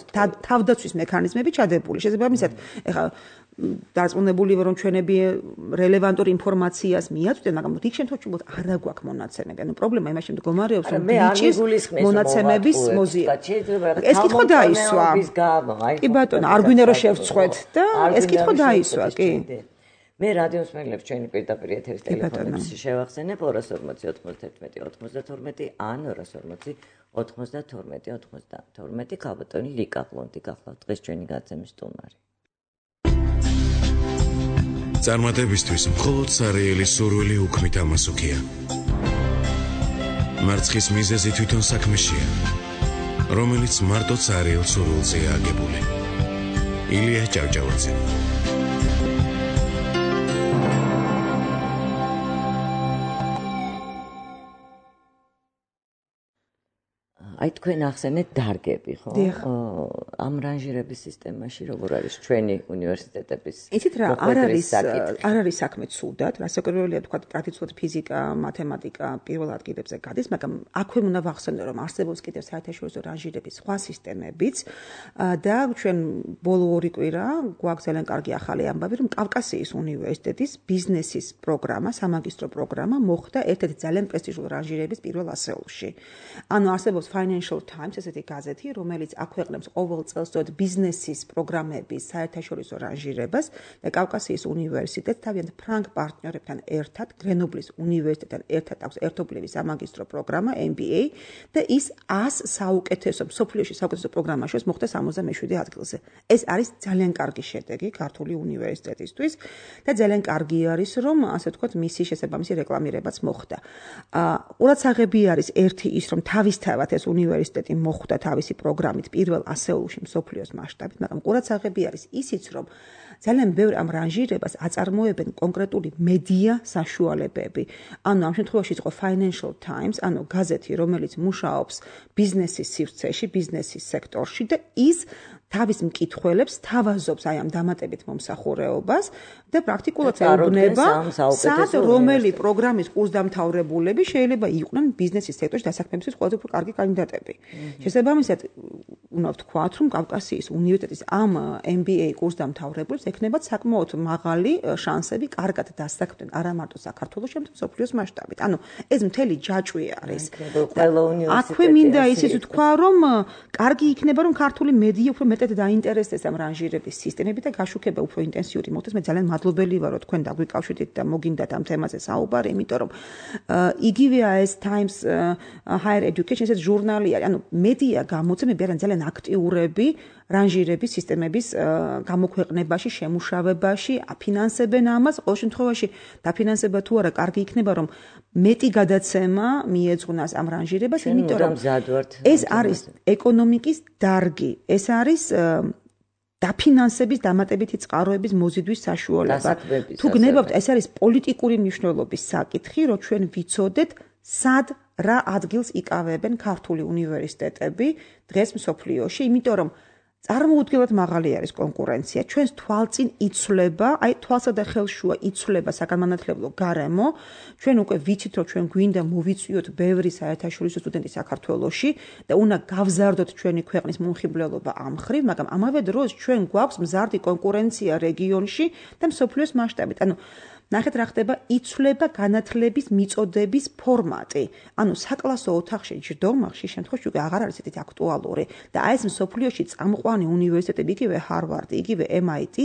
თავდაცვის მექანიზმები ჩადებული. შესაბამისად, ეხლა დარწმუნებული ვარ, რომ ჩვენები რელევანტურ ინფორმაციას მიაწვდენ, მაგრამ იქ შემთხვევაში უბრალოდ არ აგვაქვს მონაცემები. ანუ პრობლემა იმაში მდგომარეობს, რომ ბიჭის მონაცემების მოზია. ეს კითხვა დაისვა. კი ბატონო, არ გვინდა რომ შევწყვეთ და ეს კითხვა დაისვა, კი. მე რადიოს მეგლებს ჩვენი პირდაპირ ეთერის ტელეფონებს შევახსენებ ორას ორმოცი ოცდაერთმეტი ოცდათორმეტი ან ორას ორმოცი ოცდათორმეტი ოცდათორმეტი ქალბატონი ლიკა ყლონტი გახლავთ დღეს ჩვენი გაცემის სტუმარი. წარმატებისთვის მხოლოდ სარიელი სურვილი უქმით ამასუქია. მარცხის მიზეზი თვითონ საქმეშია, რომელიც მარტო სარიელ სურვილზეა აგებული. ილია ჭავჭავაძე. აი თქვენ ახსენეთ დარგები, ხო? ამ რანჟირების სისტემაში როგორ არის ჩვენი უნივერსიტეტების? იცით რა, არ არის არ არის საქმე ცუდად, რასაკვირველია თქვა ტრადიციულად ფიზიკა, მათემატიკა პირველ ადგილებზე გადის, მაგრამ აქვე უნდა ვახსენო, რომ არსებობს კიდევ საერთაშორისო რანჟირების სხვა სისტემებიც და ჩვენ ბოლო ორი კვირა გვაქვს ძალიან კარგი ახალი ამბავი, რომ კავკასიის უნივერსიტეტის ბიზნესის პროგრამა, სამაგისტრო პროგრამა მოხდა ერთ-ერთი ძალიან პრესტიჟული რანჟირების პირველ ასეულში. ანუ არსებობს Financial Times, ესეთი გაზეთი, რომელიც აქვეყნებს ყოველ წელს ბიზნესის პროგრამების საერთაშორისო რანჟირებას და კავკასიის უნივერსიტეტს თავიანთ ფრანგ პარტნიორებთან ერთად, გრენობლის უნივერსიტეტთან ერთად აქვს ერთობლივი სამაგისტრო პროგრამა M B A და ის ას საუკეთესო მსოფლიოში საუკეთესო პროგრამაშიც მოხდა სამოცდამეშვიდე ადგილზე. ეს არის ძალიან კარგი შედეგი ქართული უნივერსიტეტისთვის და ძალიან კარგი არის, რომ ასე ვთქვათ, მისი შესაბამისი რეკლამირებაც მოხდა. ყურადსაღები არის ერთი ის, რომ თავისთავად ეს უნივერსიტეტი მოხვდა თავისი პროგრამით პირველ ასეულში მსოფლიოს მასშტაბით, მაგრამ ყურადსაღები არის ისიც, რომ ძალიან ბევრ ამ რანჟირებას აწარმოებენ კონკრეტული მედია საშუალებები. ანუ ამ შემთხვევაში იყო Financial Times, ანუ გაზეთი, რომელიც მუშაობს ბიზნესის სივრცეში, ბიზნესის სექტორში და ის თავის მკითხველებს თავაზობს აი ამ დამატებით მომსახურეობას და პრაქტიკულად ეუბნება, სად რომელი პროგრამის კურსდამთავრებულები შეიძლება იყვნენ ბიზნესის სექტორში დასაქმებისთვის ყველაზე უფრო კარგი კანდიდატები. შესაბამისად, უნდა ვთქვათ, რომ კავკასიის უნივერსიტეტის ამ M B A კურსდამთავრებულებს ექნებათ საკმაოდ მაღალი შანსები კარგად დასაქმდნენ არა მარტო საქართველოს, შემდგომ მსოფლიოს მასშტაბით. ანუ ეს მთელი ჯაჭვი არის. აქვე მინდა ისიც ვთქვა, რომ კარგი იქნება, რომ ქართული მედია უფრო მეტად დაინტერესდეს ამ რანჟირების სისტემებით და გაშუქება უფრო ინტენსიური მოხდეს. მე ძალიან მადლობელი ვარ, რომ თქვენ დაგვიკავშირდით და მოგინდათ ამ თემაზე საუბარი, იმიტომ რომ იგივე ეს Times Higher Education ეს ჟურნალი არის. ანუ მედია გამოცემები არიან ძალიან აქტიურები რანჟირების სისტემების გამოქვეყნებაში, შემუშავებაში, აფინანსებენ ამას. ყოველ შემთხვევაში დაფინანსება თუ არა, კარგი იქნება, რომ მეტი გადაცემა მიეძღვნას ამ რანჟირებას, იმიტომ რომ ეს არის ეკონომიკის დარგი. ეს არის დაფინანსების დამატებითი წყაროების მოზიდვის საშუალება. თუ გნებავთ, ეს არის პოლიტიკური მნიშვნელობის საკითხი, რომ ჩვენ ვიცოდეთ, სად რა ადგილს იკავებენ ქართული უნივერსიტეტები დღეს მსოფლიოში, იმიტომ რომ წარმოუდგენლად მაღალი არის კონკურენცია. ჩვენს თვალწინ იცვლება, აი თვალსა და ხელშუა იცვლება საგანმანათლებლო გარემო. ჩვენ უკვე ვიცით, რომ ჩვენ გვინდა მოვიწვიოთ ბევრი საერთაშორისო სტუდენტი საქართველოში და უნდა გავზარდოთ ჩვენი ქვეყნის მომხიბვლელობა ამ ხრივ, მაგრამ ამავე დროს ჩვენ გვაქვს მზარდი კონკურენცია რეგიონში და მსოფლიოს მასშტაბით. ანუ ნახეთ რა ხდება, იცვლება განათლების მიწოდების ფორმატი. ანუ საკლასო ოთახში ჯდომა ხშირ შემთხვევაში უკვე აღარ არის ისეთი აქტუალური და აი ეს მსოფლიოში წამყვანი უნივერსიტეტები, იგივე Harvard, იგივე M I T,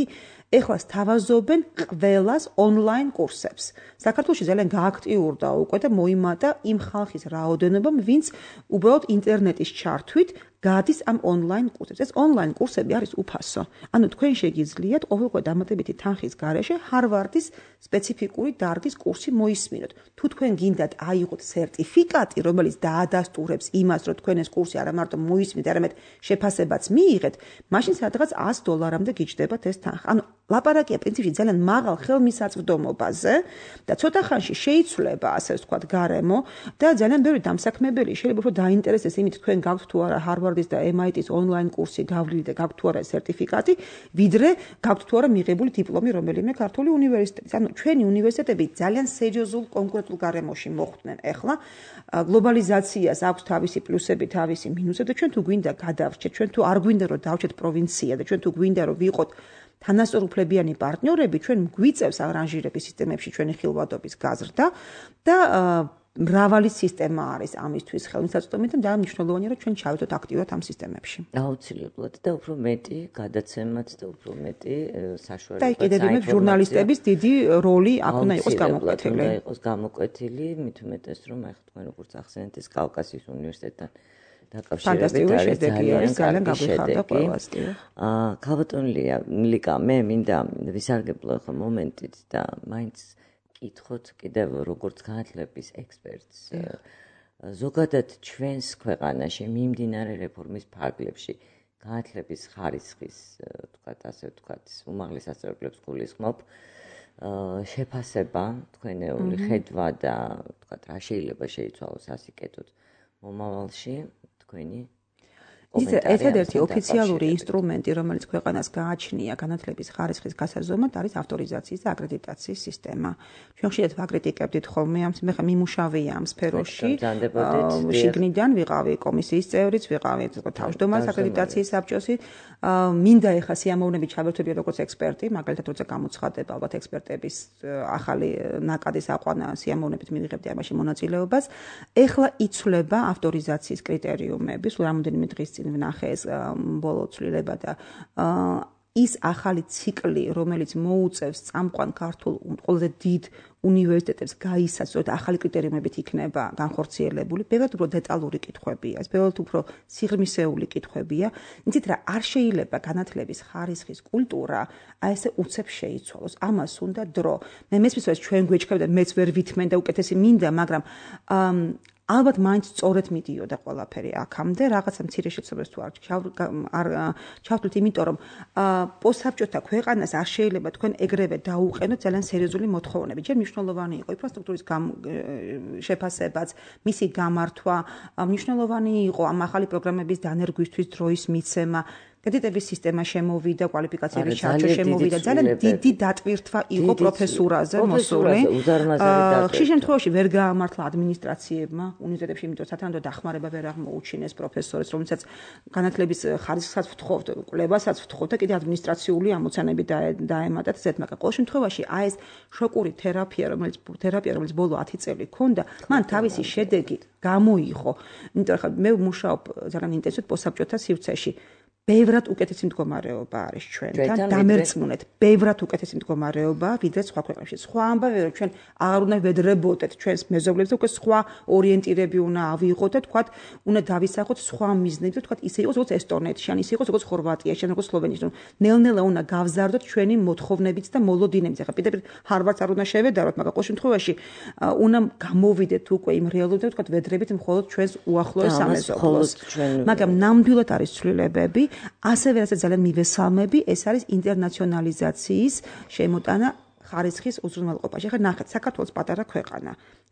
ეხლა სთავაზობენ ყველას ონლაინ კურსებს. საქართველოში ძალიან გააქტიურდა უკვე და მოიმატა იმ ხალხის რაოდენობამ, ვინც უბრალოდ ინტერნეტის ჩართვით გადის ამ ონლაინ კურსებს. ეს ონლაინ კურსები არის უფასო. ანუ თქვენ შეგიძლიათ ყოველგვარ დამატებითი თანხის გარეშე Harvard-ის სპეციფიკური დარგის კურსი მოისმინოთ. თუ თქვენ გინდათ აიღოთ სერტიფიკატი, რომელიც დაადასტურებს იმას, რომ თქვენ ეს კურსი არა მარტო მოისმინეთ, არამედ შეფასებაც მიიღეთ, მაშინ სადღაც ას დოლარამდე გიჯდებათ ეს თანხა. ანუ ლაპარაკია პრინციპში ძალიან მაღალ ხელმისაწვდომობაზე და ცოტა ხანში შეიცვლება, ასე ვთქვათ, გარემო და ძალიან ბევრი დამსაქმებელი შეიძლება უფრო დაინტერესდეს იმით, თქვენ გაქვთ თუ არა Harvard-ის და M I T-ის ონლაინ კურსი გავლილი და გაქვთ თუ არა სერტიფიკატი, ვიდრე გაქვთ თუ არა მიღებული დიპლომი რომელიმე ქართული უნივერსიტეტის. ანუ ჩვენი უნივერსიტეტები ძალიან სერიოზულ კონკურენტულ გარემოში მოხვდნენ. ეხლა გლობალიზაციას აქვს თავისი პლუსები, თავისი მინუსები და ჩვენ თუ გვინდა გადავრჩეთ, ჩვენ თუ არ გვინდა რომ დავჩეთ პროვინცია და ჩვენ თუ გვინდა რომ ვიყოთ თანასწორუფლებიანი პარტნიორები, ჩვენ გვიწევს არანჟირების სისტემებში ჩვენი ხილვადობის გაზრდა და მრავალი სისტემა არის ამისთვის ხელმისაწვდომი და მნიშვნელოვანია რომ ჩვენ ჩავიდოთ აქტიურად ამ სისტემებში. აუცილებლად და უფრო მეტი გადაცემაც და უფრო მეტი საშუალება. და კიდევ მე ჟურნალისტების დიდი როლი აქ უნდა იყოს გამოკვეთილი. უნდა იყოს გამოკვეთილი, მით უმეტეს რომ ახლა თქვენ როგორც ახსენეთ ეს კავკასიის უნივერსიტეტთან დაკავშირებით არის ძალიან გაგვიხარდა ყველას. აა ქალბატონია ლიკა, მე მინდა ვისარგებლო ახლა მომენტით და მაინც კითხოთ კიდევ როგორც განათლების ექსპერტს. ზოგადად ჩვენს ქვეყანაში მიმდინარე რეფორმის ფარგლებში განათლების ხარისხის, თქვათ ასე ვთქვათ, უმაღლეს სასწავლებლებს გულისხმობ, შეფასება, თქვენეული ხედვა და თქვათ რა შეიძლება შეიცვალოს ასიკეთოთ მომავალში თქვენი ის ერთადერთი ოფიციალური ინსტრუმენტი, რომელიც ქვეყანას გააჩნია განათლების ხარისხის გასაზომად, არის ავტორიზაციის და აკრედიტაციის სისტემა. ჩვენ ხშირად ვაკრიტიკებდით ხოლმე ამ მე ხა მიმუშავია ამ სფეროში. შიგნიდან ვიყავი კომისიის წევრიც, ვიყავი თავმჯდომარის აკრედიტაციის საბჭოსი. მინდა ეხა სიამოვნებით ჩავერთვებია როგორც ექსპერტი, მაგალითად როცა გამოცხადება ალბათ ექსპერტების ახალი ნაკადის აყვანა სიამოვნებით მივიღებდი ამაში მონაწილეობას. ეხლა იცვლება ავტორიზაციის კრიტერიუმები, სულ რამოდენიმე დღის წინ ვნახე ეს ბოლო ცვლილება და ის ახალი ციკლი, რომელიც მოუწევს წამყვან ქართულ ყველაზე დიდ უნივერსიტეტებს გაისაცოთ ახალი კრიტერიუმებით იქნება განხორციელებული, ბევრად უფრო დეტალური კითხვებია, ეს ბევრად უფრო სიღრმისეული კითხვებია. იცით რა, არ შეიძლება განათლების ხარისხის კულტურა აი ესე უცებ შეიცვალოს. ამას უნდა დრო. მე მესმის რომ ჩვენ გვეჩქებდა, მეც ვერ ვითმენ და უკეთესი მინდა, მაგრამ ალბათ მაინც სწორედ მიდიოდა ყველაფერი აქამდე, რაღაცა მცირე შეცდომებს თუ არ არ ჩავთვლით, იმიტომ რომ პოსტსაბჭოთა ქვეყანას არ შეიძლება თქვენ ეგრევე დაუყენოთ ძალიან სერიოზული მოთხოვნები. ჯერ მნიშვნელოვანი იყო ინფრასტრუქტურის შეფასებაც, მისი გამართვა, მნიშვნელოვანი იყო ამ ახალი პროგრამების დანერგვისთვის დროის მიცემა. კრედიტების სისტემა შემოვიდა, კვალიფიკაციების ჩარჩო შემოვიდა, ძალიან დიდი დატვირთვა იყო პროფესურაზე მოსული. ხშირ შემთხვევაში ვერ გაამართლა ადმინისტრაციებმა უნივერსიტეტებში, იმიტომ რომ სათანადო დახმარება ვერ აღმოუჩინეს პროფესორებს, რომელსაც განათლების ხარისხსაც ვთხოვთ, კვლევასაც ვთხოვთ და კიდე ადმინისტრაციული ამოცანები დაემატათ ზედ, მაგრამ ყოველ შემთხვევაში აი ეს შოკური თერაპია, რომელიც თერაპია, რომელიც ბოლო ათი წელი ქონდა, მან თავისი შედეგი გამოიღო. იმიტომ რომ მე ვმუშაობ ძალიან ინტენსიურად პოსტსაბჭოთა სივრცეში. ბევრად უკეთესი მდგომარეობა არის ჩვენთან, დამერწმუნეთ, ბევრად უკეთესი მდგომარეობა, ვიდრე სხვა ქვეყნებში. სხვა ამბავია, რომ ჩვენ აღარ უნდა ვედრებოდეთ ჩვენს მეზობლებს და უკვე სხვა ორიენტირები უნდა ავიღოთ და თქვათ, უნდა დავისახოთ სხვა მიზნები და თქვათ, ისე იყოს როგორც ესტონეთში, ან ისე იყოს როგორც ხორვატიაში, ან როგორც სლოვენიაში. ნელ-ნელა უნდა გავზარდოთ ჩვენი მოთხოვნებიც და მოლოდინებიც. ახლა პირდაპირ ჰარვარდს არ უნდა შევედაროთ, მაგრამ ყოველ შემთხვევაში უნდა გამოვიდეთ უკვე იმ რეალობიდან, თქვათ, ვედრებით მხოლოდ ჩვენს უახლოეს სამეზობლოს. მაგრამ ნამდვილად არის ცვლილებები. ასევე რასაც ძალიან მივესალმები, ეს არის ინტერნაციონალიზაციის შემოტანა ხარისხის უზრუნველყოფაში. ახლა ნახეთ, საქართველოს პატარა ქვეყანა,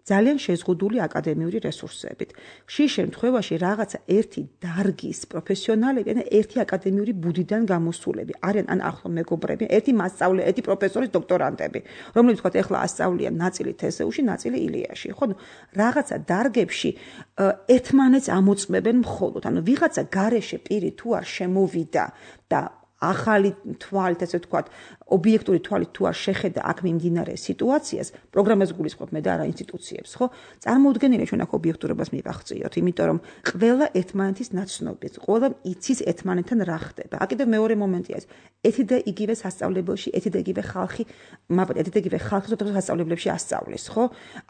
ძალიან შეზღუდული აკადემიური რესურსებით. ხშირ შემთხვევაში რაღაცა ერთი დარგის პროფესიონალები, ან ერთი აკადემიური ბუდიდან გამოსულები არიან, ან ახლო მეგობრები, ერთი მასწავლე, ერთი პროფესორის დოქტორანტები, რომლებიც თქვათ, ეხლა ასწავლიან ნაწილი თესეუში, ნაწილი ილიაში. ხო, რაღაცა დარგებში ერთმანეთს ამოწმებენ მხოლოდ. ანუ ვიღაცა გარეშე პირი თუ არ შემოვიდა და ახალი თვალით, ესე ვთქვათ, ობიექტური თვალით თუ არ შეხედა აქ მიმდინარე სიტუაციას, პროგრამას გულისხმობ მე და არა ინსტიტუციებს, ხო? წარმოუდგენელია ჩვენ აქ ობიექტურობას მივახციოთ, იმიტომ რომ ყველა ერთმანეთის ნაცნობია, ყველა იცის ერთმანეთთან რა ხდება. აქ კიდევ მეორე მომენტია ეს, ერთი და იგივე სასწავლებელში, ერთი და იგივე ხალხი, მაგრამ ერთი და იგივე ხალხი ზოგადად სასწავლებლებში ასწავლის, ხო?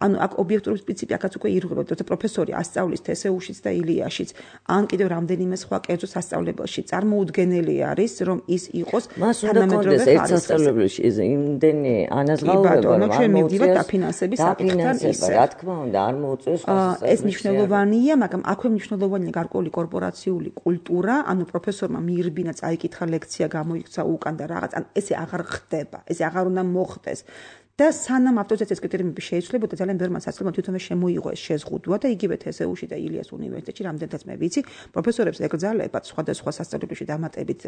ანუ აქ ობიექტურობის პრინციპი აქაც უკვე ირღვევა, როცა პროფესორი ასწავლის თესეუშიც და ილიაშიც, ან კიდევ რამდენიმე სხვა კერძო სასწავლებელში, წარმოუდგენელი არის, რომ ის იყოს თანამედროვე ხარისხის სასწავლებლებში იმდენი ანაზღაურება, რომ ჩვენ მივდივართ დაფინანსების საკითხთან ისე. რა თქმა უნდა, არ მოუწევს ეს მნიშვნელოვანია, მაგრამ აქვე მნიშვნელოვანია გარკვეული კორპორაციული კულტურა, ანუ პროფესორმა მიირბინა, წაიკითხა ლექცია, გამოიქცა უკან და რაღაც, ან ესე აღარ ხდება, ესე აღარ უნდა მოხდეს. და სანამ ავტორიზაციის კრიტერიუმები შეიცვლებოდა, ძალიან ბევრმა სასწავლებლმა თვითონვე შემოიღო ეს შეზღუდვა და იგივე თესეუში და ილიას უნივერსიტეტში, რამდენადაც მე ვიცი, პროფესორებს ეკრძალებათ სხვადასხვა სასწავლებლებში დამატებით,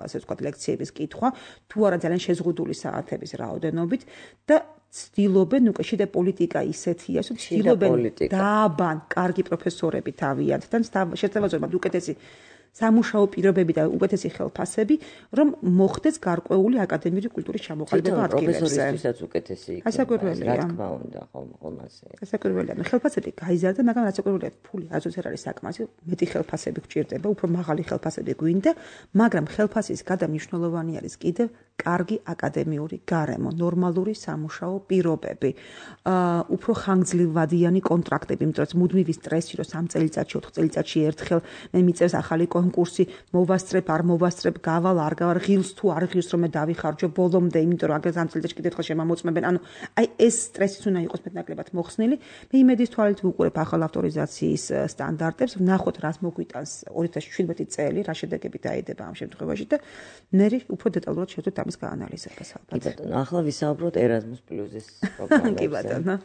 ასე ვთქვათ, ლექციების კითხვა, თუ არა ძალიან შეზღუდული საათების რაოდენობით და ცდილობენ უკვე შიდა პოლიტიკა ისეთია, რომ ცდილობენ დააბან კარგი პროფესორები თავიანთთან, შესაძლოა უკეთესი სამუშაო პირობები და უკეთესი ხელფასები, რომ მოხდეს გარკვეული აკადემიური კულტურის ჩამოყალიბება ადგილებზე. პროფესორისთვისაც უკეთესი იქნება. ასაკვირველია. რა თქმა უნდა, ხომასე. ასაკვირველია. ხელფასები გაიზარდა, მაგრამ ასაკვირველია, ფული არც არ არის საკმარისი, მეტი ხელფასები გჭირდება, უფრო მაღალი ხელფასები გვინდა, მაგრამ ხელფასის გარდა მნიშვნელოვანი არის კიდევ კარგი აკადემიური გარემო, ნორმალური სამუშაო პირობები, უფრო ხანგრძლივადიანი კონტრაქტები, იმიტომ რომ მუდმივი სტრესი, რომ სამ წელიწადში, ოთხ წელიწადში ერთხელ მე მიწევს ახალი კონკურსი, მოვასწრებ, არ მოვასწრებ, გავალ, არ გავალ, ღილს თუ არ ღილს, რომ მე დავიხარჯო ბოლომდე, იმიტომ რომ აგერ სამ წელიწადში კიდევ ერთხელ შემამოწმებენ. ანუ აი ეს სტრესიც უნდა იყოს მეტნაკლებად მოხსნილი. მე იმედის თვალით ვუყურებ ახალ ავტორიზაციის სტანდარტებს, ვნახოთ რას მოგვიტანს ორი ათას შვიდმეტი წელი, რა შედეგები დაიდება ამ შემთხვევაში და ნერი უფრო დეტალურად შევძლებთ ამის გაანალიზებას ალბათ. კი ბატონო, ახლა ვისაუბროთ ერაზმუს პლუსის პროგრამაზე. კი ბატონო.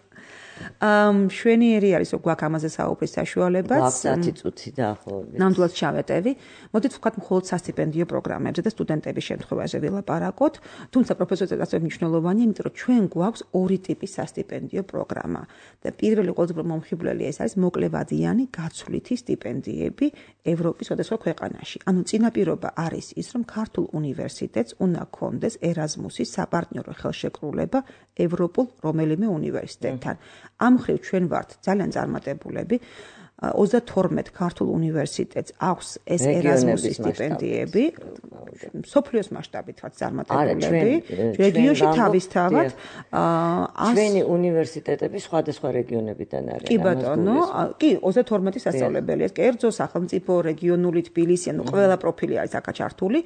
ამ შვენიერი არის რომ გვაქვს ამაზე საუბრის საშუალებაც. გვაქვს ათი წუთი დაახლოებით. ნამდვილად ჩავეტევი. მოდით ვთქვათ მხოლოდ სასტიპენდიო პროგრამებზე და სტუდენტების შემთხვევაში ვილაპარაკოთ. თუმცა პროფესორებსაც ასევე მნიშვნელოვანია, იმიტომ რომ ჩვენ გვაქვს ორი ტიპის სასტიპენდიო პროგრამა. და პირველი ყველაზე მომხიბვლელი ეს არის მოკლევადიანი გაცვლითი სტიპენდიები ევროპის სხვადასხვა ქვეყანაში. ანუ წინაპირობა არის ის, რომ ქართულ უნივერსიტეტს უნდა ჰქონდეს ერაზმუსის საპარტნიორო ხელშეკრულება ევროპულ რომელიმე უნივერსიტეტთან. ამ მხრივ ჩვენ ვართ ძალიან წარმატებულები. ოცდათორმეტ ქართულ უნივერსიტეტს აქვს ეს ერაზმუსის სტიპენდიები. სოფლიოს მასშტაბით ვართ წარმატებულები. რეგიონში თავისთავად ჩვენი უნივერსიტეტები სხვადასხვა რეგიონებიდან არიან. კი ბატონო, კი ოცდათორმეტი სასწავლებელი, ეს კერძო, სახელმწიფო, რეგიონული, თბილისი, ანუ ყველა პროფილი არის აქა ჩართული.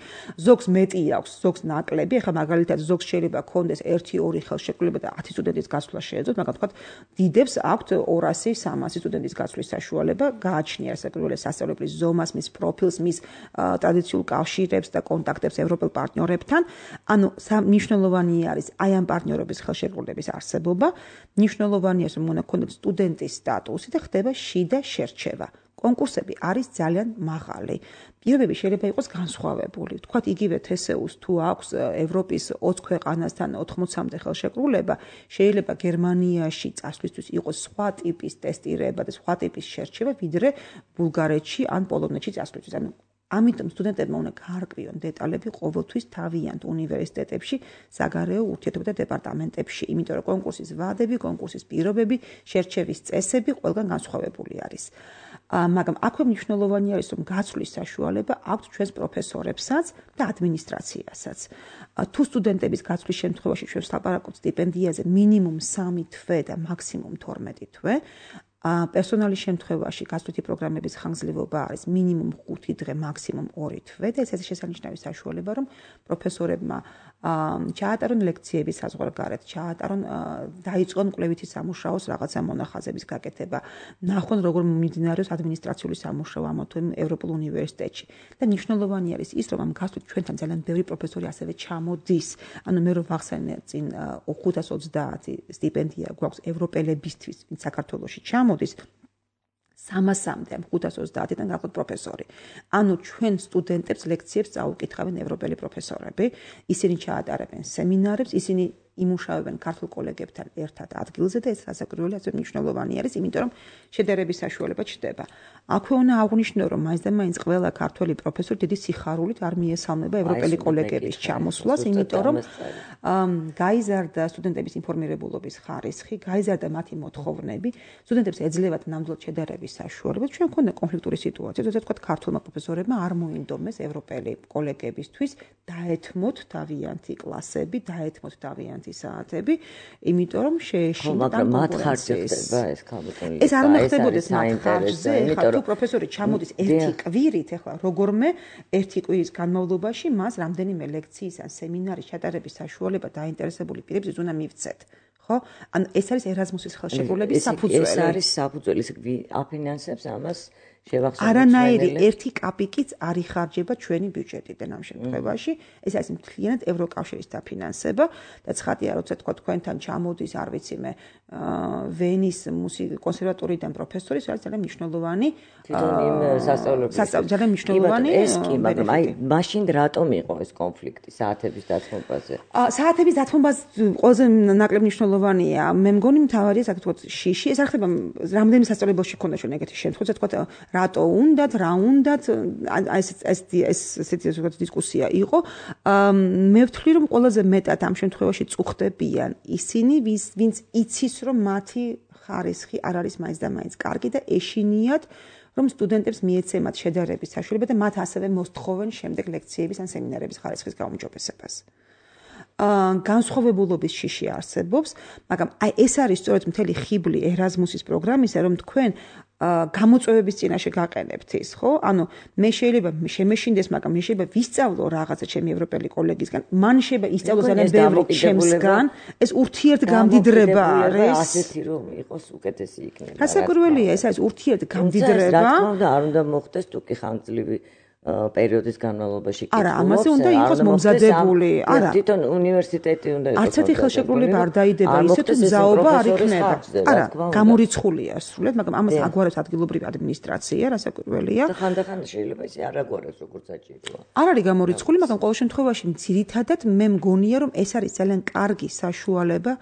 ზოგს მეტი აქვს, ზოგს ნაკლები. ახლა მაგალითად ზოგს შეიძლება ჰქონდეს ერთი ორი ხელშეკრულება და ათი სტუდენტის გაცვლა შეეძლოთ, მაგრამ თქვათ დიდებს აქვთ ორასი სამასი სტუდენტის გაცვლის საშუალება. გააჩნია საკრებულოს სასწავლებლის ზომას, მის პროფილს, მის ტრადიციულ კავშირებს და კონტაქტებს ევროპელ პარტნიორებთან. ანუ მნიშვნელოვანი არის აი ამ პარტნიორების ხელშეკრულების არსებობა. მნიშვნელოვანია, რომ უნდა ჰქონდეს სტუდენტის სტატუსი და ხდება შიდა შერჩევა. კონკურსები არის ძალიან მაღალი. პირობები შეიძლება იყოს განსხვავებული. Თქვათ იგივე თესეუს თუ აქვს ევროპის ოცი ქვეყანასთან ოთხმოცამდე ხელშეკრულება, შეიძლება გერმანიაში წასვლისთვის იყოს სხვა ტიპის ტესტირება და სხვა ტიპის შერჩევა, ვიდრე ბულგარეთში ან პოლონეთში წასვლისთვის. ანუ ამიტომ სტუდენტებმა უნდა გაარკვიონ დეტალები ყოველთვის თავიანთ უნივერსიტეტებში, საგარეო ურთიერთობათა დეპარტამენტებში, იმიტომ რომ კონკურსის ვადები, კონკურსის პირობები, შერჩევის წესები ყველგან განსხვავებული არის. მაგრამ აქვე მნიშვნელოვანი არის, რომ გაცვლის საშუალება აქვს ჩვენს პროფესორებსაც და ადმინისტრაციასაც. თუ სტუდენტების გაცვლის შემთხვევაში ჩვენ ვლაპარაკობთ სტიპენდიაზე მინიმუმ სამი თვე და მაქსიმუმ თორმეტი თვე, პერსონალის შემთხვევაში გასვლითი პროგრამების ხანგრძლივობა არის მინიმუმ ხუთი დღე, მაქსიმუმ ორი თვე და ეს არის შესანიშნავი საშუალება, რომ პროფესორებმა ჩაატარონ ლექციები საზღვარგარეთ, ჩაატარონ დაიწყონ კვლევითი სამუშაოს რაღაცა მონახაზების გაკეთება, ნახონ როგორ მიმდინარეობს ადმინისტრაციული სამუშაო ამ თუ ევროპულ უნივერსიტეტში. და მნიშვნელოვანი არის ის, რომ ამ გასვლით ჩვენთან ძალიან ბევრი პროფესორი ასევე ჩამოდის. ანუ მე რომ ვახსენე წინ ხუთას ოცდაათი სტიპენდია გვაქვს ევროპელებისთვის, ვინც საქართველოში ჩამოდის. სამასამდე ამ ხუთას ოცდაათიდან გახლავთ პროფესორი. ანუ ჩვენ სტუდენტებს ლექციებს წაუკითხავენ ევროპელი პროფესორები, ისინი ჩაატარებენ სემინარებს, ისინი იმუშავებენ ქართულ კოლეგებთან ერთად ადგილზე და ეს რასაკვირველი ასე მნიშვნელოვანი არის, იმიტომ რომ შედარების საშუალება ჩდება. აქვე უნდა აღვნიშნო, რომ მაინც და მაინც ყველა ქართველი პროფესორი დიდი სიხარულით არ მიესალმება ევროპელი კოლეგების ჩამოსვლას, იმიტომ რომ გაიზარდა სტუდენტების ინფორმირებულობის ხარისხი, გაიზარდა მათი მოთხოვნები, სტუდენტებს ეძლევათ ნამდვილად შედარების საშუალება. ჩვენ გვქონდა კონფლიქტური სიტუაცია, როდესაც თქვა ქართულმა პროფესორებმა არ მოინდომეს ევროპელი კოლეგებისთვის დაეთმოთ თავიანთი კლასები, დაეთმოთ თავიანთი საათები, იმიტომ რომ შეეშინდა კონკურენციის. ეს არ უნდა ხდებოდეს მათ ხარჯზე, ეხლა თუ პროფესორი ჩამოდის ერთი კვირით, ეხლა როგორმე ერთი კვირის განმავლობაში მას რამდენიმე ლექციის ან სემინარის ჩატარების საშუალება დაინტერესებული პირებს უნდა მივცეთ. ხო? ანუ ეს არის ერაზმუსის ხელშეკრულების საფუძველი. ეს არის საფუძველი, აფინანსებს ამას შევახსენოთ. არანაირი ერთი კაპიკიც არ იხარჯება ჩვენი ბიუჯეტიდან ამ შემთხვევაში. ეს არის მთლიანად ევროკავშირის დაფინანსება და ცხადია, როცა თქვა თქვენთან ჩამოდის, არ ვიცი მე, ვენის მუსიკის კონსერვატორიიდან პროფესორი, ეს არის ძალიან მნიშვნელოვანი. თვითონ იმ სასწავლებლებში. ძალიან მნიშვნელოვანი. ეს კი, მაგრამ აი, მაშინ რატომ იყო ეს კონფლიქტი საათების დათმობაზე? საათების დათმობაზე ყველაზე ნაკლებ მნიშვნელოვანია. მე მგონი მთავარია საკუთრად შიში. ეს არ ხდება რამდენიმე სასწავლებელში ქონდა ჩვენ ეგეთი შემთხვევა, თქვა რატო უნდათ, რა უნდათ, ეს ეს ეს ესეთი ზოგადად დისკუსია იყო. მე ვთვლი, რომ ყველაზე მეტად ამ შემთხვევაში წუხდებიან ისინი, ვინც იცის, რომ მათი ხარისხი არ არის მაინც და მაინც კარგი და ეშინიათ, რომ სტუდენტებს მიეცემათ შედარების საშუალება და მათ ასევე მოსთხოვენ შემდეგ ლექციების ან სემინარების ხარისხის გაუმჯობესებას. განსხვავებულობის შიში არსებობს, მაგრამ აი ეს არის სწორედ მთელი ხიბლი ერაზმუსის პროგრამისა, რომ თქვენ გამოწვევების წინაშე გაყენებთ ის, ხო? ანუ მე შეიძლება შემეშინდეს, მაგრამ მე შეიძლება ვისწავლო რაღაცა ჩემი ევროპელი კოლეგისგან, მან შეიძლება ისწავლოს ძალიან ბევრი ჩემსგან, ეს ურთიერთგამდიდრება არის. ასეთი რომ იყოს უკეთესი იქნება. რასაკვირველია, ეს არის ურთიერთგამდიდრება. რა თქმა უნდა, არ უნდა მოხდეს თუ კი ხანგრძლივი პერიოდის განმავლობაში კი. არა, ამაზე უნდა იყოს მომზადებული. არა, თვითონ უნივერსიტეტი უნდა იყოს. არც ერთი ხელშეკრულება არ დაიდება ისე თუ მზაობა არ იქნება. არა, გამორიცხულია სრულად, მაგრამ ამას აგვარებს ადგილობრივი ადმინისტრაცია, რასაკვირველია. და ხანდახან შეიძლება ისე არ აგვარებს როგორც საჭიროა. არ არის გამორიცხული, მაგრამ ყოველ შემთხვევაში ძირითადად მე მგონია, რომ ეს არის ძალიან კარგი საშუალება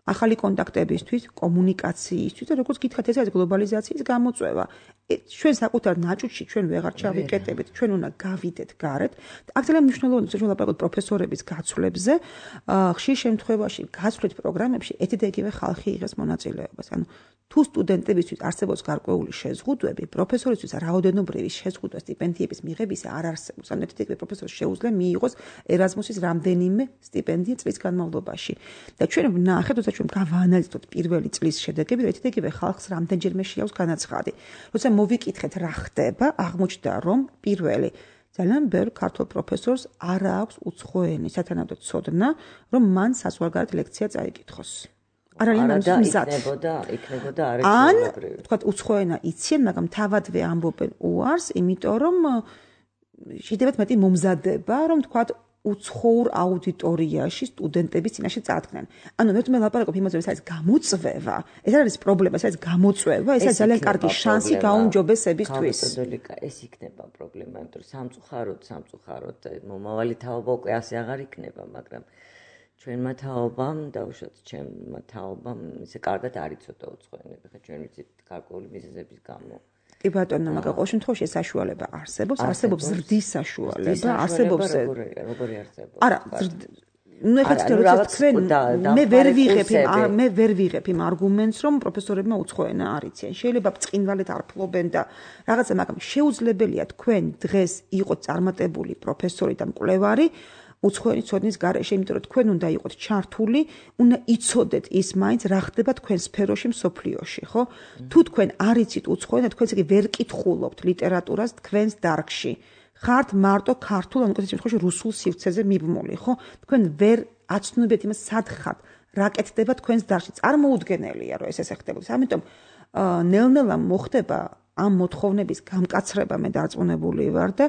ახალი კონტაქტებისთვის, კომუნიკაციისთვის და როგორც გითხარით, ეს არის გლობალიზაციის გამოწვევა. ჩვენ საკუთარ ნაჭუჭში ჩვენ ვეღარ ჩავიკეტებით, ჩვენ უნდა გავიდეთ გარეთ. აქ ძალიან მნიშვნელოვანია, რომ ლაპარაკობთ პროფესორების გაცვლებზე, ხშირ შემთხვევაში გაცვლით პროგრამებში ერთი და იგივე ხალხი იღებს მონაწილეობას. ანუ თუ სტუდენტებისთვის არსებობს გარკვეული შეზღუდვები, პროფესორისთვის რაოდენობრივი შეზღუდვა სტიპენდიების მიღებისა არ არსებობს. ანუ ერთი და იგივე პროფესორს შეუძლია მიიღოს ერაზმუსის რამდენიმე სტიპენდია წლის განმავლობაში. და ჩვენ ვნახეთ, როცა ჩვენ გავაანალიზოთ პირველი წლის შედეგები, ერთი და იგივე ხალხს რამდენჯერმე შეაქვს განაცხადი. როცა მოვიკითხეთ რა ხდება, აღმოჩნდა, რომ პირველი ძალიან ბევრ ქართულ პროფესორს არ აქვს უცხოენის სათანადო ცოდნა, რომ მან საზღვარგარეთ ლექცია წაიკითხოს. არ არის მან მზად. იქნებოდა, იქნებოდა არის ან, თქვა, უცხოენა იციან, მაგრამ თავადვე ამბობენ უარს, იმიტომ რომ შეიძლება მეტი მომზადება, რომ თქვა უცხოურ აუდიტორიაში სტუდენტების წინაშე წარდგნენ. ანუ მე თვითონ ლაპარაკობ იმაზე, რომ ეს გამოწვევა, ეს არის პრობლემა, ეს არის გამოწვევა, ეს არის ძალიან კარგი შანსი გაუმჯობესებისთვის. მეთოდოლოგია ეს იქნება პრობლემა, იმიტომ რომ სამწუხაროდ, სამწუხაროდ მომავალი თაობა უკვე ასე აღარ იქნება, მაგრამ ჩვენმა თაობამ, დაუშვათ ჩემმა თაობამ, ისე კარგად არ იცოდა უცხოენები, ხა ჩვენ ვიცით გარკვეული მიზეზების გამო. კი ბატონო, მაგრამ ყოველ შემთხვევაში ეს საშუალება არსებობს, არსებობს ზრდის საშუალება, არსებობს როგორი არსებობს? არა, ну ეხლა თქვენ მე ვერ ვიღებ მე ვერ ვიღებ იმ არგუმენტს, რომ პროფესორებმა უცხოენა არ იციან. შეიძლება ბრწყინვალედ არ ფლობენ და რაღაცა, მაგრამ შეუძლებელია თქვენ დღეს იყოთ წარმატებული პროფესორი და მკვლევარი უცხოენის ცოდნის გარეშე, იმიტომ რომ თქვენ უნდა იყოთ ჩართული, უნდა იცოდეთ ის მაინც რა ხდება თქვენ სფეროში მსოფლიოში, ხო? თუ თქვენ არ იცით უცხოენა, თქვენ ისე ვერ კითხულობთ ლიტერატურას თქვენს დარგში. ხართ მარტო ქართულ, ან უკეთეს შემთხვევაში რუსულ სივრცეზე მიბმული, ხო? თქვენ ვერ აცნობთ იმას, სად ხართ, რა კეთდება თქვენს დარგში. წარმოუდგენელია, რომ ეს ესე ხდებოდეს. ამიტომ ნელ-ნელა მოხდება ამ მოთხოვნების გამკაცრება მე დარწმუნებული ვარ და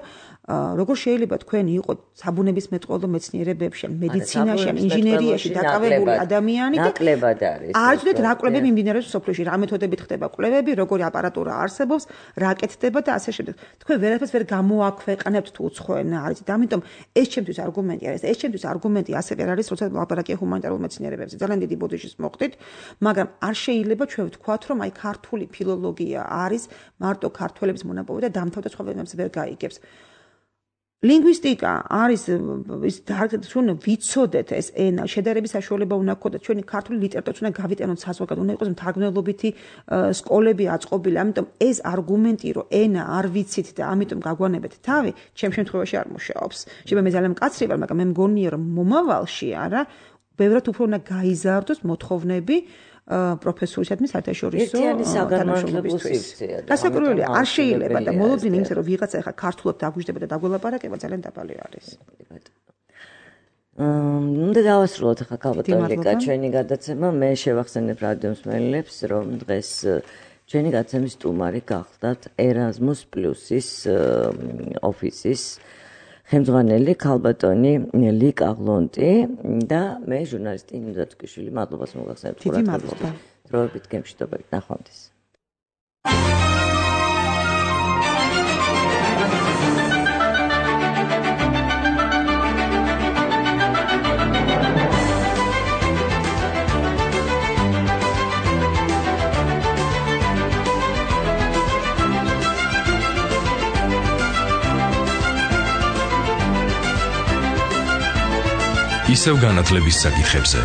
როგორ შეიძლება თქვენ იყოთ საბუნებისმეტყველო მეცნიერებებში, მედიცინაში, ინჟინერიაში დაკავებული ადამიანი და ნაკლებად არის. არ იცოდეთ რა კვლევები მიმდინარეობს სოფლიოში, რა მეთოდებით ხდება კვლევები, როგორი აპარატურა არსებობს, რა კეთდება და ასე შემდეგ. თქვენ ვერაფერს ვერ გამოაქვეყნებთ თუ უცხოენა არ იცით. ამიტომ ეს ჩემთვის არგუმენტი არის. ეს ჩემთვის არგუმენტი ასევე არის, როცა ლაპარაკია ჰუმანიტარულ მეცნიერებებზე. ძალიან დიდი ბოდიშის მოხდით, მაგრამ არ შეიძლება ჩვენ ვთქვათ, რომ აი ქართული ფილოლოგია არის მარტო ქართველების მონაპოვე და დამთავრდა სხვა ვერაფერს ვერ გაიგებს. ლინგვისტიკა არის ის ჩვენ ვიცოდეთ ეს ენა, შედარების საშუალება უნდა გქონდეთ, ჩვენი ქართული ლიტერატურაც უნდა გავიტანოთ საზღვარგარეთ, უნდა იყოს მთარგმნელობითი სკოლები აწყობილი. ამიტომ ეს არგუმენტი, რომ ენა არ ვიცით და ამიტომ გაგვანებეთ თავი, ჩემ შემთხვევაში არ მუშაობს. შეიძლება მე ძალიან მკაცრი ვარ, მაგრამ მე მგონია, რომ მომავალში არა, ბევრად უფრო უნდა გაიზარდოს მოთხოვნები პროფესორისადმი საერთაშორისო თანამშრომლობისთვის. გასაკურველია, არ შეიძლება და მოლოდინი იმის რომ ვიღაცა ახლა ქართულად დაგვიждდება და დაგველაპარაკება ძალიან დაბალი არის. უნდა დავასრულოთ ახლა ქალბატონიკა ჩვენი გადაცემა. მე შევახსენებ რადიო მსმენელებს, რომ დღეს ჩვენი გადაცემის სტუმარი გახლდათ Erasmus Plus-ის ოფისის ხელმძღვანელი ქალბატონი ლიკა ღლონტი და მე ჟურნალისტი ნინო დათუქიშვილი. მადლობას მოგახსენებთ ყურადღებისთვის. დროებით გემშვიდობებით, ნახვამდის. ისევ განათლების საკითხებზე